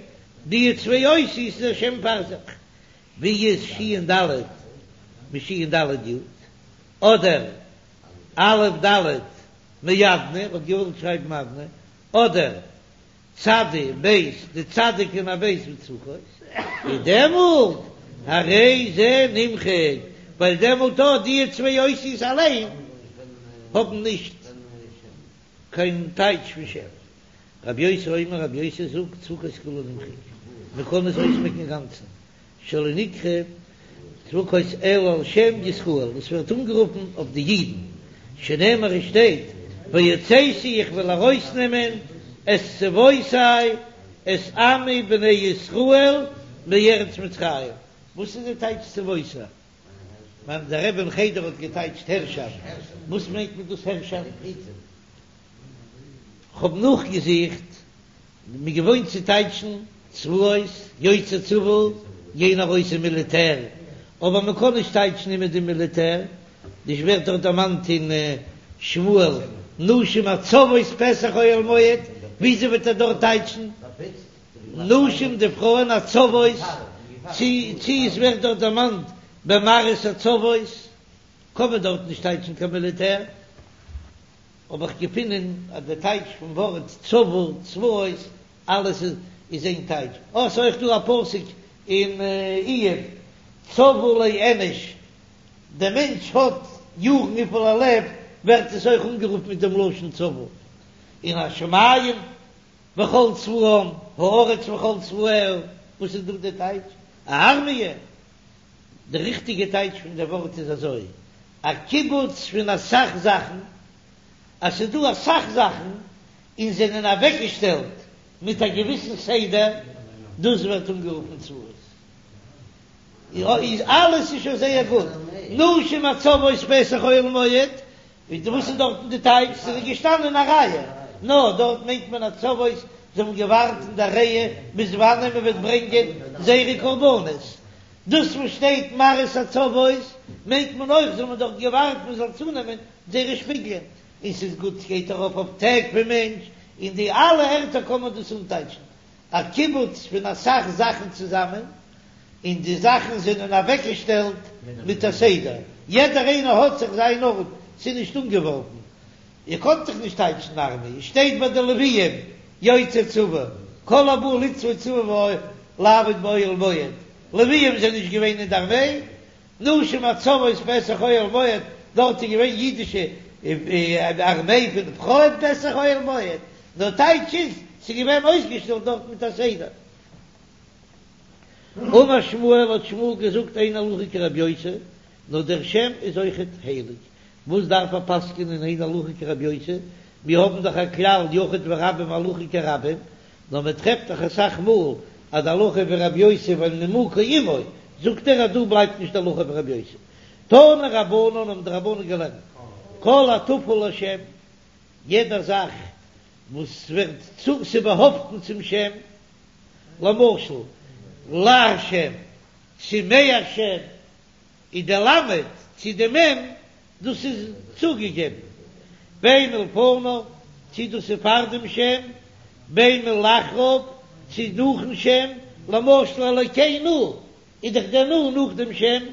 די צוויי אותיות איז א שם פאר זיך, ווי איז שין ד' משין ד' י', אדער א' ד' מאדני, האט געוואלט שרייבן אדני, אדער צדי בית, די צדיק און א בית מצבקות, איז דעמאלט הרי זה נמחק, ווייל דעמאלט האט די צוויי אותיות אליין האבן נישט קיין טייטש פון שם. רבי יוסי אומר, רבי יוסי זאגט, צבקות כולו נמחק, מען קען עס אויסמעקן אינגאנצן, שלא נקרא צבקות אלא על שם ישראל, עס ווערט אנגערופן אויף די אידן, שנאמר עס שטייט, והוצאתי איך וועל ארויסנעמען את צבאותי את עמי בני ישראל מארץ מצרים, וואס איז די טייטש צבאותי? מיין דער רבי אין חדר האט געטייטשט הערשאפט, וואס מיינט מען דאס הערשאפט? כ'האב נאכגעזוכט, מ'איז געוואוינט צו טייטשן צבאות, יוצאי צבא, גיין ארויס אין מיליטער, אבער מען קען נישט טייטשן אימער די מיליטער, דאס ווערט דאך דערמאנט אין שמואל, נשים הצובאות פתח אוהל מועד, וויאזוי וועט ער דארט טייטשן נשים די פרויען הצובאות, צו צו עס ווערט דארט דערמאנט במראות הצבאות, קען מען דארט נישט טייטשן קיין מיליטער. האב איך געפונען אז די טייטש פון ווארט צבא, צבאות, אלעס איז איין טייטש. אה, ס'איז אויך דא א פסוק אין איוב, צבא לאנוש, דער מענטש האט יארן וויפיל ער לעבט, ווערט עס אויך אנגערופן מיט דעם לשון צבא. און השמים וכל צבאם, הארץ וכל צבאיה, וואס איז דא די טייטש? א ארמיע? די ריכטיגע טייטש פון די ווארט איז אזוי, א קיבוץ פון אסאך זאכן, אז ס'איז דא אסאך זאכן און זענען אוועקגעשטעלט מיט א געוויסן סדר, דאס ווערט אנגערופן צבאות. איז אלעס איז שוין זייער גוט, נשים הצובאות פתח אוהל מועד, וואס איז דארטן די טייטש? ס'איז געשטאנען אין א רייע, נאר דארט מיינט מען הצובאות, זיי האבן געווארט אין די רייע ביז וואנען מען וועט ברענגען זייערע קרבנות, דאס וואס שטייט מראות הצובאות מיינט מען אויך זיי האבן דארט געווארט מען זאל צונעמען זייערע שפיגלען, און ס'איז גוט ס'גייט ארויף אויף טעג פון מענטש, אין די אלע ערטער קען מען דאס אנטייטשן א קיבוץ פון אסאך זאכן צוזאמען, און די זאכן זענען אוועקגעשטעלט מיט א סדר, יעדער איינער האט זיך זיין ארט, ס'איז נישט אנגעווארפן. איר קאנט דאך נישט טייטשן ארמי, עס שטייט ביי די לוויים יוצאי צבא, כל הבא לצבוא צבא לעבוד באוהל מועד, לוויים זענען נישט געווען אין די ארמעי, נשים הצובאות פתח אוהל מועד, דארט איז געווען אידישע ארמעי פון פרויען פתח אוהל מועד, נאר טייטש איז, ס'איז געווען אויסגעשטעלט דארט מיט א סדר. אמר שמואל האט שמואל געזאגט אין הלכה כרבי יוסי, נאר דער שם איז אויכעט הייליג, וואס דארף ער פסק'נען אין הלכה כרבי יוסי, מיר האבן דאך א כלל יחיד ורבים הלכה כרבים, נאר מען טרעפט דאך אסאך מאל אז די הלכה ווי רבי יוסי ווייל נימוקו עמו, זאגט ער אז דא בלייבט נישט די הלכה ווי רבי יוסי. תנו רבנן האבן די רבנן געלערנט כל הטפל לשם, יעדע זאך וואס ווערט צו ס'באהאפטן צום שם, למשל להשם צו מהשם, איז די למד צו די מ' דאס איז צוגעגעבן, בין מלפניו צו דאס איז פאר דעם שם, בין מלאחריו צו נאכן שם, למשל אלקינו איז דאך דער נ נאך דעם שם,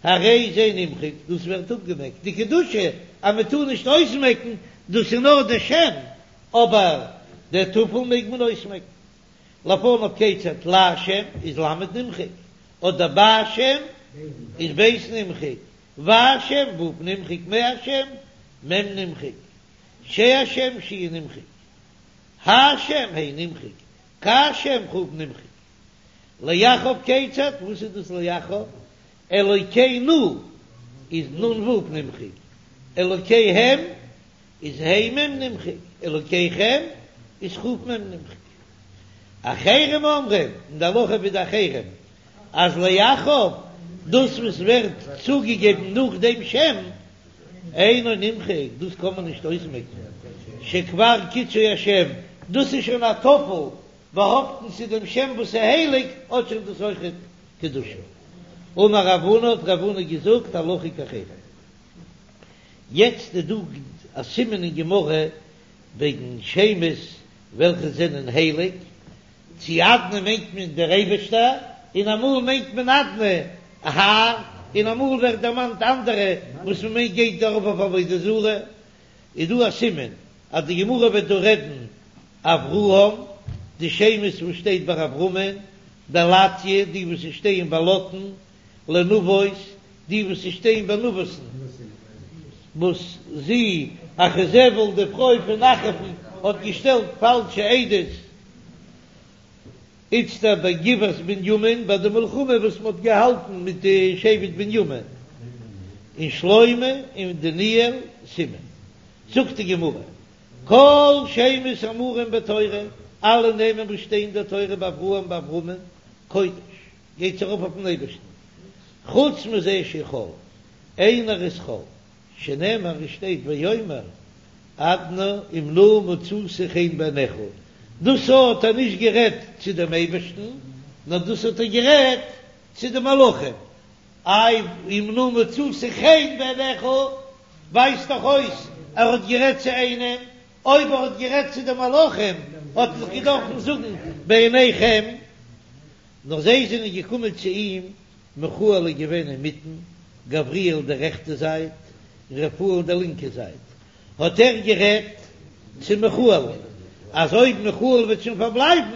הרי זה נמחק, דאס ווערט אפגעמעקט, די קדושה אז מען טאר נישט אויסמעקן דאס איז נאר די שם, אבער די טפל מעג מען אויסמעקן. לפניו כיצד להשם איז למד נמחק, אדער בהשם איז ב' נמחק, והשם ו' נמחק, מהשם מ' נמחק, שהשם ש' נמחק, השם ה' נמחק, כהשם כ' נמחק. לאחריו כיצד, וואס איז דאס לאחריו? אלוקינו איז נ ו' נמחק, אלוקיהם איז ה' מ' נמחק, אלוקיכם איז כ' מ' נמחק. אחרים אומרים, און די הלכה ווי די אחרים, אז לאחריו, דאס וואס ווערט צוגעגעבן נאך דעם שם, אינו נמחק, דאס קען מען נישט אויסמעקן, שכבר קידשו השם, דאס איז שוין א טפל באהאפטן צו דעם שם וואס איז הייליג, האט שוין דאס אויכעט קדושה. אמר רב הונא, האט רב הונא געזאגט, הלכה כאחרים. יעצט איז דא א סימן אין גמרא וועגן שמות וועלכע זענען הייליג, צו אדני מיינט מען דער אייבערשטער, און אמאל מיינט מען אדני האר, און אמאל ווערט דערמאנט אנדערע וואס מען מיינט גייט ארויף אויף עבודה זרה, איז דא א סימן אז די גמרא וועט דא רעדן אברהם, די שמות וואס שטייט ביי אברהמען, דלתיה, די וואס שטייען ביי לוטן, לנבות, די וואס שטייען ביי נבות'ן, וואס זי, אחזבל די פרוי פון אחאב'ן, האט געשטעלט פאלשע עדות, איצטער ביי גבעת בנימין, ביי די מלחמה וואס מען האט געהאלטן מיט די שבט בנימין, און שלמה און דניאל סימן. זאגט די גמרא, כל שמות האמורים בתורה, אלע נעמען וואס שטייען אין דער תורה באברהם באברהמען, קודש. גייט ארויף אויפן אייבערשטן, חוץ מזה שהוא חול, איינער איז חול, שנאמר עס שטייט ויאמר אדני אם נא מצאתי חן בעיניך, דאס האט ער נישט גערעדט צו דעם אייבערשטן, נאר דאס האט ער גערעדט צו די מלאכים, איי אם נא מצאתי חן בעיניך ווייזט דאך אויס ער האט גערעדט צו איינעם, אויב ער האט גערעדט צו די מלאכים האט ער דאך געדארפן זאגן בעיניכם. נאר זיי זענען געקומען צו אים, מיכאל איז געווען אינמיטן, גבריאל די רעכטע זייט, און רפאל די לינקע זייט. האט ער גערעדט צו מיכאל אז אויב מיכאל וועט שוין פארבלייבן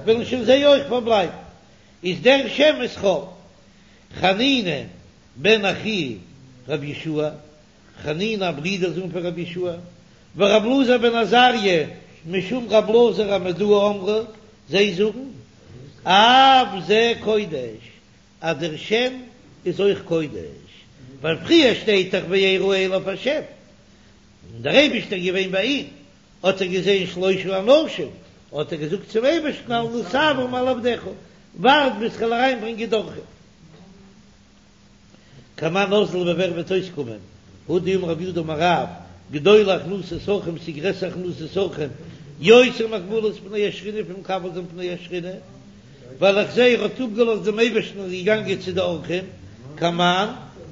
וועלן שוין זיי אויך פארבלייבן, איז דער שם איז חול. חנינא בן אחי רבי יהושע, חנינא א ברודער זון פון רבי יהושע, ורבי אלעזר בן עזריה משום רבי אלעזר המודעי אמרו, זיי זאגן אף זה קודש, אז דער שם איז אויך קודש, ווייל פריער שטייט דאך וירא אליו השם, און דער אייבערשטער איז געווען ביי אים, האט ער געזען שלושה אנשים, האט ער געזאגט צום אייבערשטן אל נא תעבור מעל עבדך, ווארט ביז כ'וועל אריינברענגען די אורחים. כמאן אזלא ווי ווער וועט אויסקומען, הא דאמר רב יהודה אמר רב, גדולה הכנסת אורחים ס'איז גרעסער הכנסת אורחים יותר מקבלת פני השכינה פון מקבל זיין פני השכינה, ווייל איך זעה ער האט אפגעלאזט דעם אייבערשטן און איז געגאנגען צו די אורחים, כמאן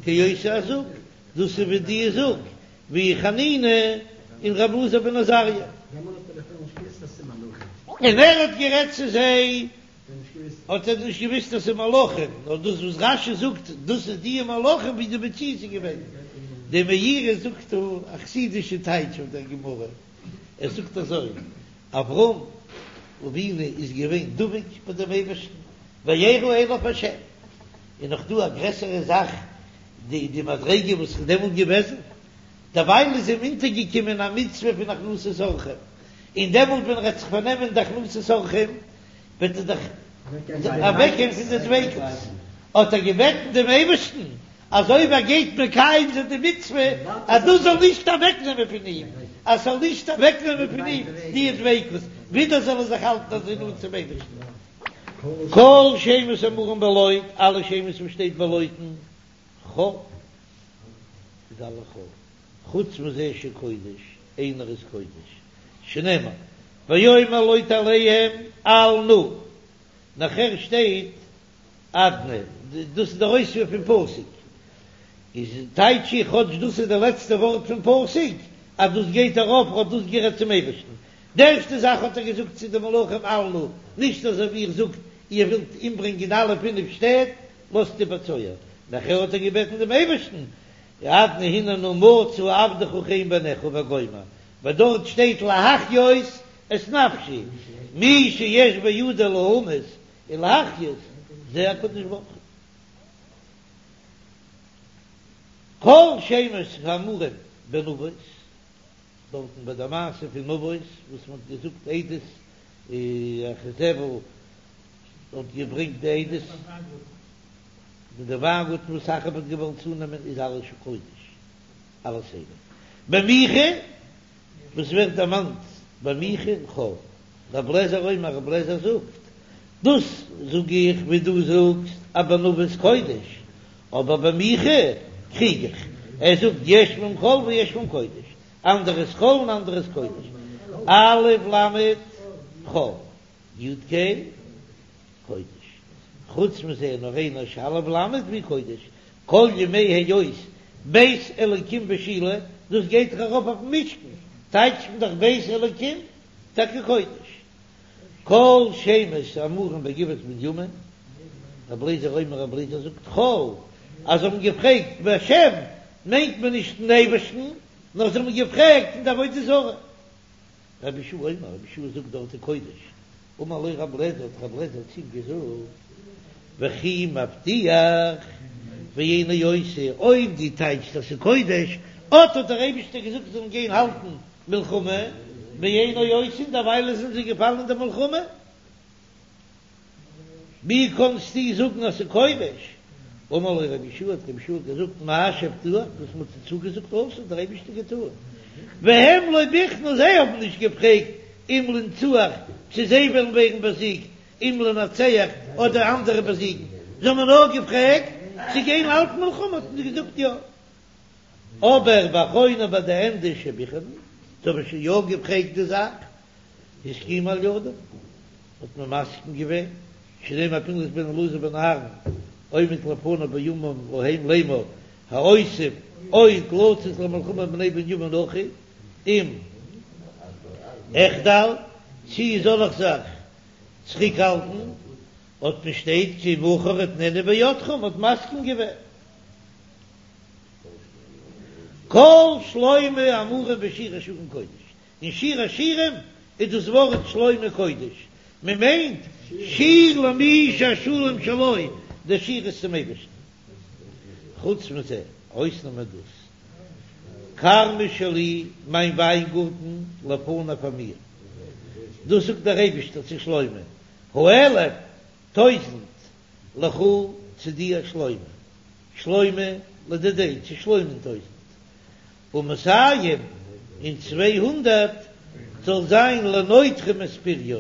כאותה הזוג, דאס איז ווי די זוג, ווי חנינא און ר' אלעזר בן עזריה. און ער האט גערעדט צו זיי האט ער נישט געוויסט אז ס'איז מלאכים, נאר דאס וואס רש"י זאגט דאס איז די מלאכים ווי די מציאות איז געווען. די מאירי זאגט דא א חסידישע טייטש אויף דער גמרא, ער זאגט אזוי, אברהם אבינו איז געווען דבוק ביי דעם אייבערשטן, וירא אליו השם, איז נאך דא א גרעסערע זאך די די מדריגה וואס איז דעמאלט געוועזן, דערווייל איז אים אונטערגעקומען א מצוה פון הכנסת אורחים, און דעמאלט ווען ער וועט זיך פארנעמען די הכנסת אורחים וועט ער דאך אוועקגיין פון די דביקות, האט ער געבעטן דעם אייבערשטן אז אויב ער גייט מקיים זיין די מצוה אז דאס זאל נישט אוועקנעמען פון אים, אז ס'זאל נישט אוועקנעמען פון אים די דביקות, ווידער זאל ער זיך האלטן אזוי נאנט צום אייבערשטן. כל שמות האמורים בלוט, אלע שמות וואס שטייט ביי לוטן, חול, איז אלע חול, חוץ מזה שקודש, איינער איז קודש, שנאמר, ויאמר לוט אליהם אל נא, נאכער שטייט אדני, דאס איז דער אויספיר פון פסוק, איז טייטש איך כאטש דאס איז די לעצטע ווארט פון פסוק, אז דאס גייט ארויף ער האט דאס גערעדט צום אייבערשטן, די ערשטע זאך האט ער געזאגט צו די מלאכים אל נא, נישט אזוי ווי איר זאגט, איר ווילט אומברענגען אלע פינף שטעט, לאזט איבער צוער, נאכער האט ער געבעטן דעם אייבערשטן, אדני הנה נא מצא עבדך חן בעיניך וגומר, ווייל דארט שטייט להחיות את נפשי, מי שיש בידו להמית ולהחיות זה הקדוש ברוך הוא. כל שמות האמורים בנבות, דארטן ביי די מעשה פון נבות וואס מען האט געזאגט עדות, איזבל האט געברענגט די עדות מיט די וויינגארטן וואס אחאב האט געוואלט צונעמען איז אלעס קודש, אלעס הייליג. במיכה וואס ווערט דערמאנט ביי מיכה חול, רב לעזער אומר רב לעזער זאגט, דאס זאג איך ווי דו זאגסט אז בנבות קודש, אבער במיכה קריג איך, ער זאגט יש בהם חול ויש בהם קודש, אנדערע איז חול און אנדערע איז קודש, א' למד חול. י' ק' קודש, חוץ מזה נאר איינער שא' למד והוא קודש, כל ימי היות בית אלוקים בשילה, דאס גייט דאך ארויף אויפן משכן, טייטשט מען דאך בית אלוקים טאקע קודש. כל שמות האמורים בגבעת בנימין, רבי אליעזר אומר רבי אליעזר זאגט חול, אז זיי האבן געפרעגט בהשם מיינט מען נישט אין אייבערשטן, נאר זיי האבן געפרעגט אין די עבודה זרה. רבי יהושע אומר, רבי יהושע זאגט דארט אין קודש, אמר לו רבי אליעזר, האט רבי אליעזר צו אים געזאגט, וכי מבטיח ואינו עושה, אויב דו טייטשסט אז ס'איז קודש, אט האט דער אייבישטער געזאגט זיי זאלן גיין האלטן מלחמה, ואינו עושה, און דערווייל זענען זיי געפאלן אין די מלחמה. ווי קאנסטו זאגן אז ס'איז קודש? אמר לו רבי יהושע, האט רבי יהושע געזאגט, מה שהבטיח, וואס מ'האט זיי צוגעזאגט עשו, האט דער אייבערשטער געטאן. והם לא ביחנו, זיי האבן נישט געפרעגט אם לנצוח, צו זיי וועלן ווערן באזיגט, אם לנצח, אדער אנדערע באזיגן, זיי האבן נאר געפרעגט צו גיין האלטן מלחמה, האט מען זיי געזאגט יא. אבער באחרונה ביי די ענדע שביחנו, זיי האבן שוין יא געפרעגט די זאך, הסכימו על ידם, האט מען מסכים געווען, שנאמר פנחס בן אלעזר בן אהרן עומד לפני בימים ההם לאמור האוסיף עוד לצאת למלחמה עם בני בנימין אחי אם אחדל, צי זאל איך זיך צוריקהאלטן, האט מען שטייט כי מחר אתננה בידכם, האט מסכים געווען. כל שלמה אמורים בשיר השירים קודש, אין שיר השירים איז דאס ווארט שלמה קודש, מען מיינט שיר למי שהשלום שלו, דער שיר איז צום אייבערשטן. חוץ מזה, אויסנאמען דאס, כרמי שלי, מיין וויינגארטן, לפני פאר מיר. דאס זאגט דער אייבערשטער צו שלמה, האלף, טויזנט, לך צו דיר שלמה, שלמה לדידיה, צו שלמה'ן טויזנט, ומאתים און 200 זאל זיין לנוטרים את פריו,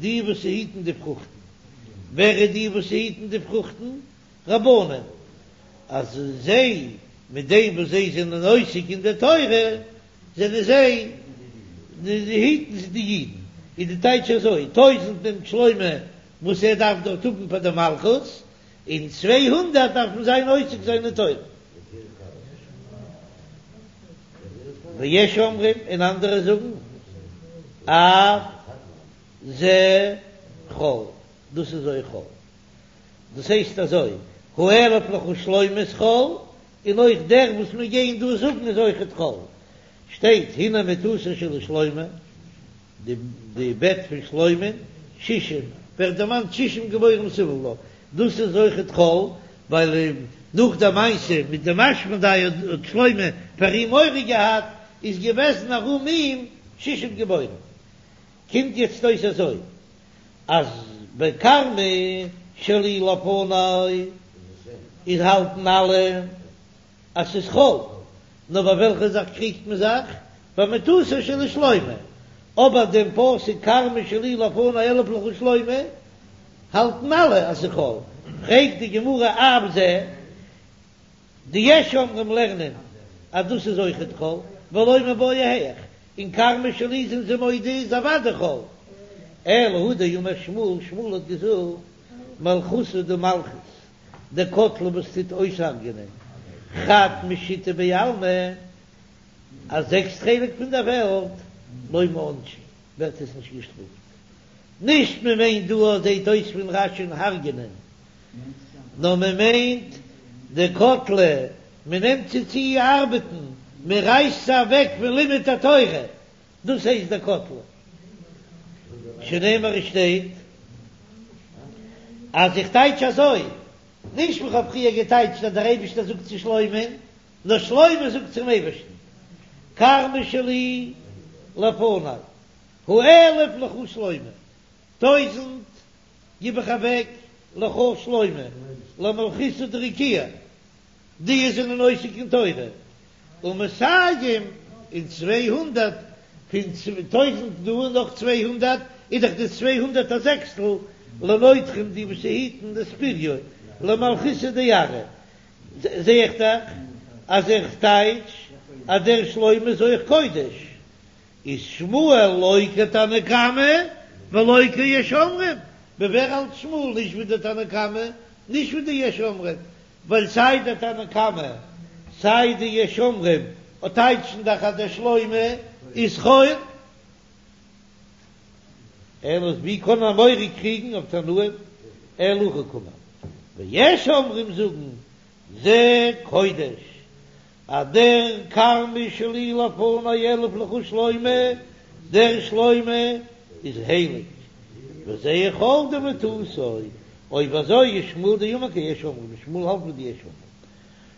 די וואס היטן די פרוכטן. ווער איז די וואס היטן די פרוכטן? רבנן, אז זיי, מיט דעם וואס זיי זענען עוסק אין די תורה, זענען זיי, היטן זיי די אידן. איז די טייטש אזוי, טויזנט נעמט שלמה וואס ער דארף דארט האבן פאר די מלכות, און 200 דארפן זיין עוסק זיין אין תורה. ויש אומרים, און אנדערע זאגן, אף זה חול, דאס איז אויך חול. דאס הייסט אזוי, האלף לך שלמה איז חול, און אויך דער וואס מיר גייען דא זאגן איז אויכעט חול. שטייט הנה מטתו של שלמה, די בעט פון שלמה'ן, שישים, ווערט דערמאנט שישים גבורים סביב לה, דאס איז אויכעט חול, ווייל נאך די מעשה מיט דעם אשמדאי האט שלמה פאר אים מורא געהאט, איז געוועזן ארום אים שישים גבורים. קומט יעצט אויס אזוי, אז ביי כרמי שלי לפני איז האלטן אלע אז ס'איז חול, נאר ביי וועלכע זאך קריגט מען זיך? ביי מטתו של שלמה, אבער דעם פסוק כרמי שלי לפני אלף לך שלמה האלטן אלע אז ס'איז חול, פרעגט די גמרא אף זה, די יש אומרים לערנען אז דאס איז אויכעט חול, ולא מיבעיא היאך, און כרמי שלי זענען זיי מודה איז אוודאי חול. אלא הא דאמר שמואל, שמואל האט געזאגט, מלכותא די מלכות, דקטלא וואס טוט אויסהרג'ענען חד משיתא בעלמא, א זעקסט חלק פון דער וועלט, לא מיענשא, ווערט עס נישט געשטראפט. נישט מען מיינט דא זעט אויס פון רש"י'ן הרג'ענען, נאר מען מיינט דקטלא, מען נעמט זיי צו ארבעטן, מען רייסט זיי אוועק פון לימוד התורה, דאס הייסט דקטלא. שנאמר עס שטייט אז איך טייטש אזוי, נישט ווי כ'האב פריער געטייטשט אז דער אייבערשטער זאגט צו שלמה'ן, נאר שלמה זאגט צום אייבערשטן, כרמי שלי לפני, האלף לך שלמה, טויזנט גיב איך אוועק לך שלמה, למלכותא דרקיעא, די זענען עוסק אין תורה, ומאתים און 200 פון טויזנט דא און נאך 200 איז דאך די 200 א זעקסטל, לנוטרים די וואס היטן את פריו, למלכותא דארעא, זע איך דאך אז איך טייטש אז דער שלמה איז אויך קודש. איז שמואל לא כתנא קמא ולא כיש אומרים, ווי ווער האלט שמואל נישט ווי די תנא קמא, נישט ווי די יש אומרים, ווייל סיי די תנא קמא סיי די יש אומרים טייטשן דאך אז דער שלמה איז חול. אלא ווי קען אן אמורא קריגן אויף תנאים אלא הכי קאמר, ויש אומרים זאגן זה קודש אז דער כרמי שלי לפני אלף לך שלמה, דער שלמה איז הייליג, וזה חול דמטתו, אויב אזוי איז שמואל דאמר כיש אומרים, שמואל האלט ווי די יש אומרים,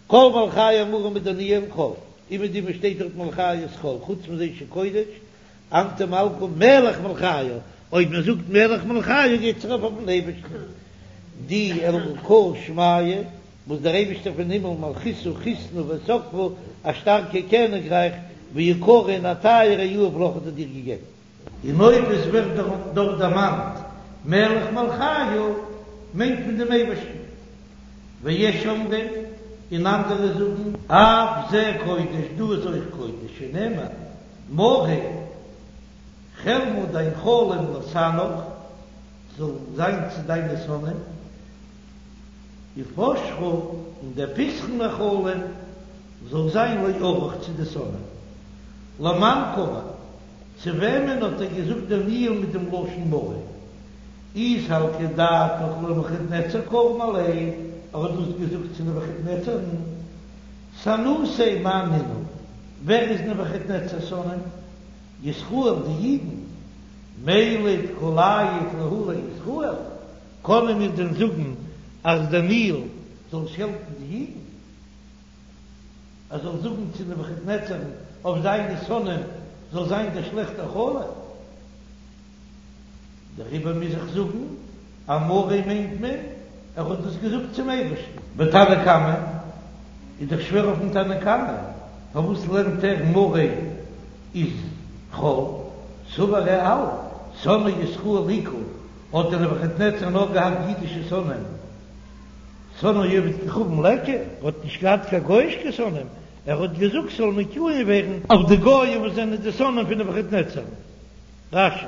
כל מלכיא אמורים בדניאל חול, אומעטום וואו שטייט דארט מלכיא איז חול, חוץ מזה שקודש, אנת מלכא מלך מלכיא, אויב מען זאגט מלך מלכיא גייט עס ארויף אויפן אייבערשטן, די אלקא שמיא. וואס דער אייבישטער פון הימל מלכותא חסנא ותקפא, א שטארקע קעניגרייך, ויקרא און א טייערע יהב לך האט ער דיר געגעבן. און אויב עס ווערט דארט דערמאנט מלך מלכיא מיינט מען דעם אייבערשטן, ויש אומרים, און אנדערע זאגן, אף זה קודש, דא איז אויך קודש, שנאמר, מרי חלמא דיין חלום לשנאיך, זאל זיין צו דיינע שונאים. ופשחא און דער פתחון החלום זאל זיין לאויביך צו די שונאים. למאן קאמר, צו וועמען האט ער געזאגט דניאל מיט דעם לשון מרי? אי סלקא דעתך לנבוכדנצר קאמר ליה, ער האט דאס געזאגט צו נבוכדנצר'ן, סנותיה מאי נינהו? ווער איז נבוכדנצר'ס שונאים? ישראל, די אידן, מילט כלאייט להו לישראל, קענען מיר דען זאגן אז דער ניל זאל שעלטן די אידן? ער זאל זאגן צו נבוכדנצר'ן אויף זיינע שונאים זאל זיין דער שלעכטער חלום? דעריבער מוז איך זאגן אמריה מיינט מען ער האט דאס געזאגט צום אייבערשטן. ותנא קמא איז דאך שווער אויפן תנא קמא, פארוואס לערנט ער מריה איז חול? סבר ער האלט שונאי ישראל איכא, האט דער נבוכדנצר נאר געהאט אידישע שונאים, שונאי עובד כוכבים ליכא, ער האט נישט געהאט קיין גויאישע שונאים, ער האט געזאגט ס'זאל מקוים ווערן אויף די גויים וואס זענען די שונאים פון נבוכדנצר. רש"י.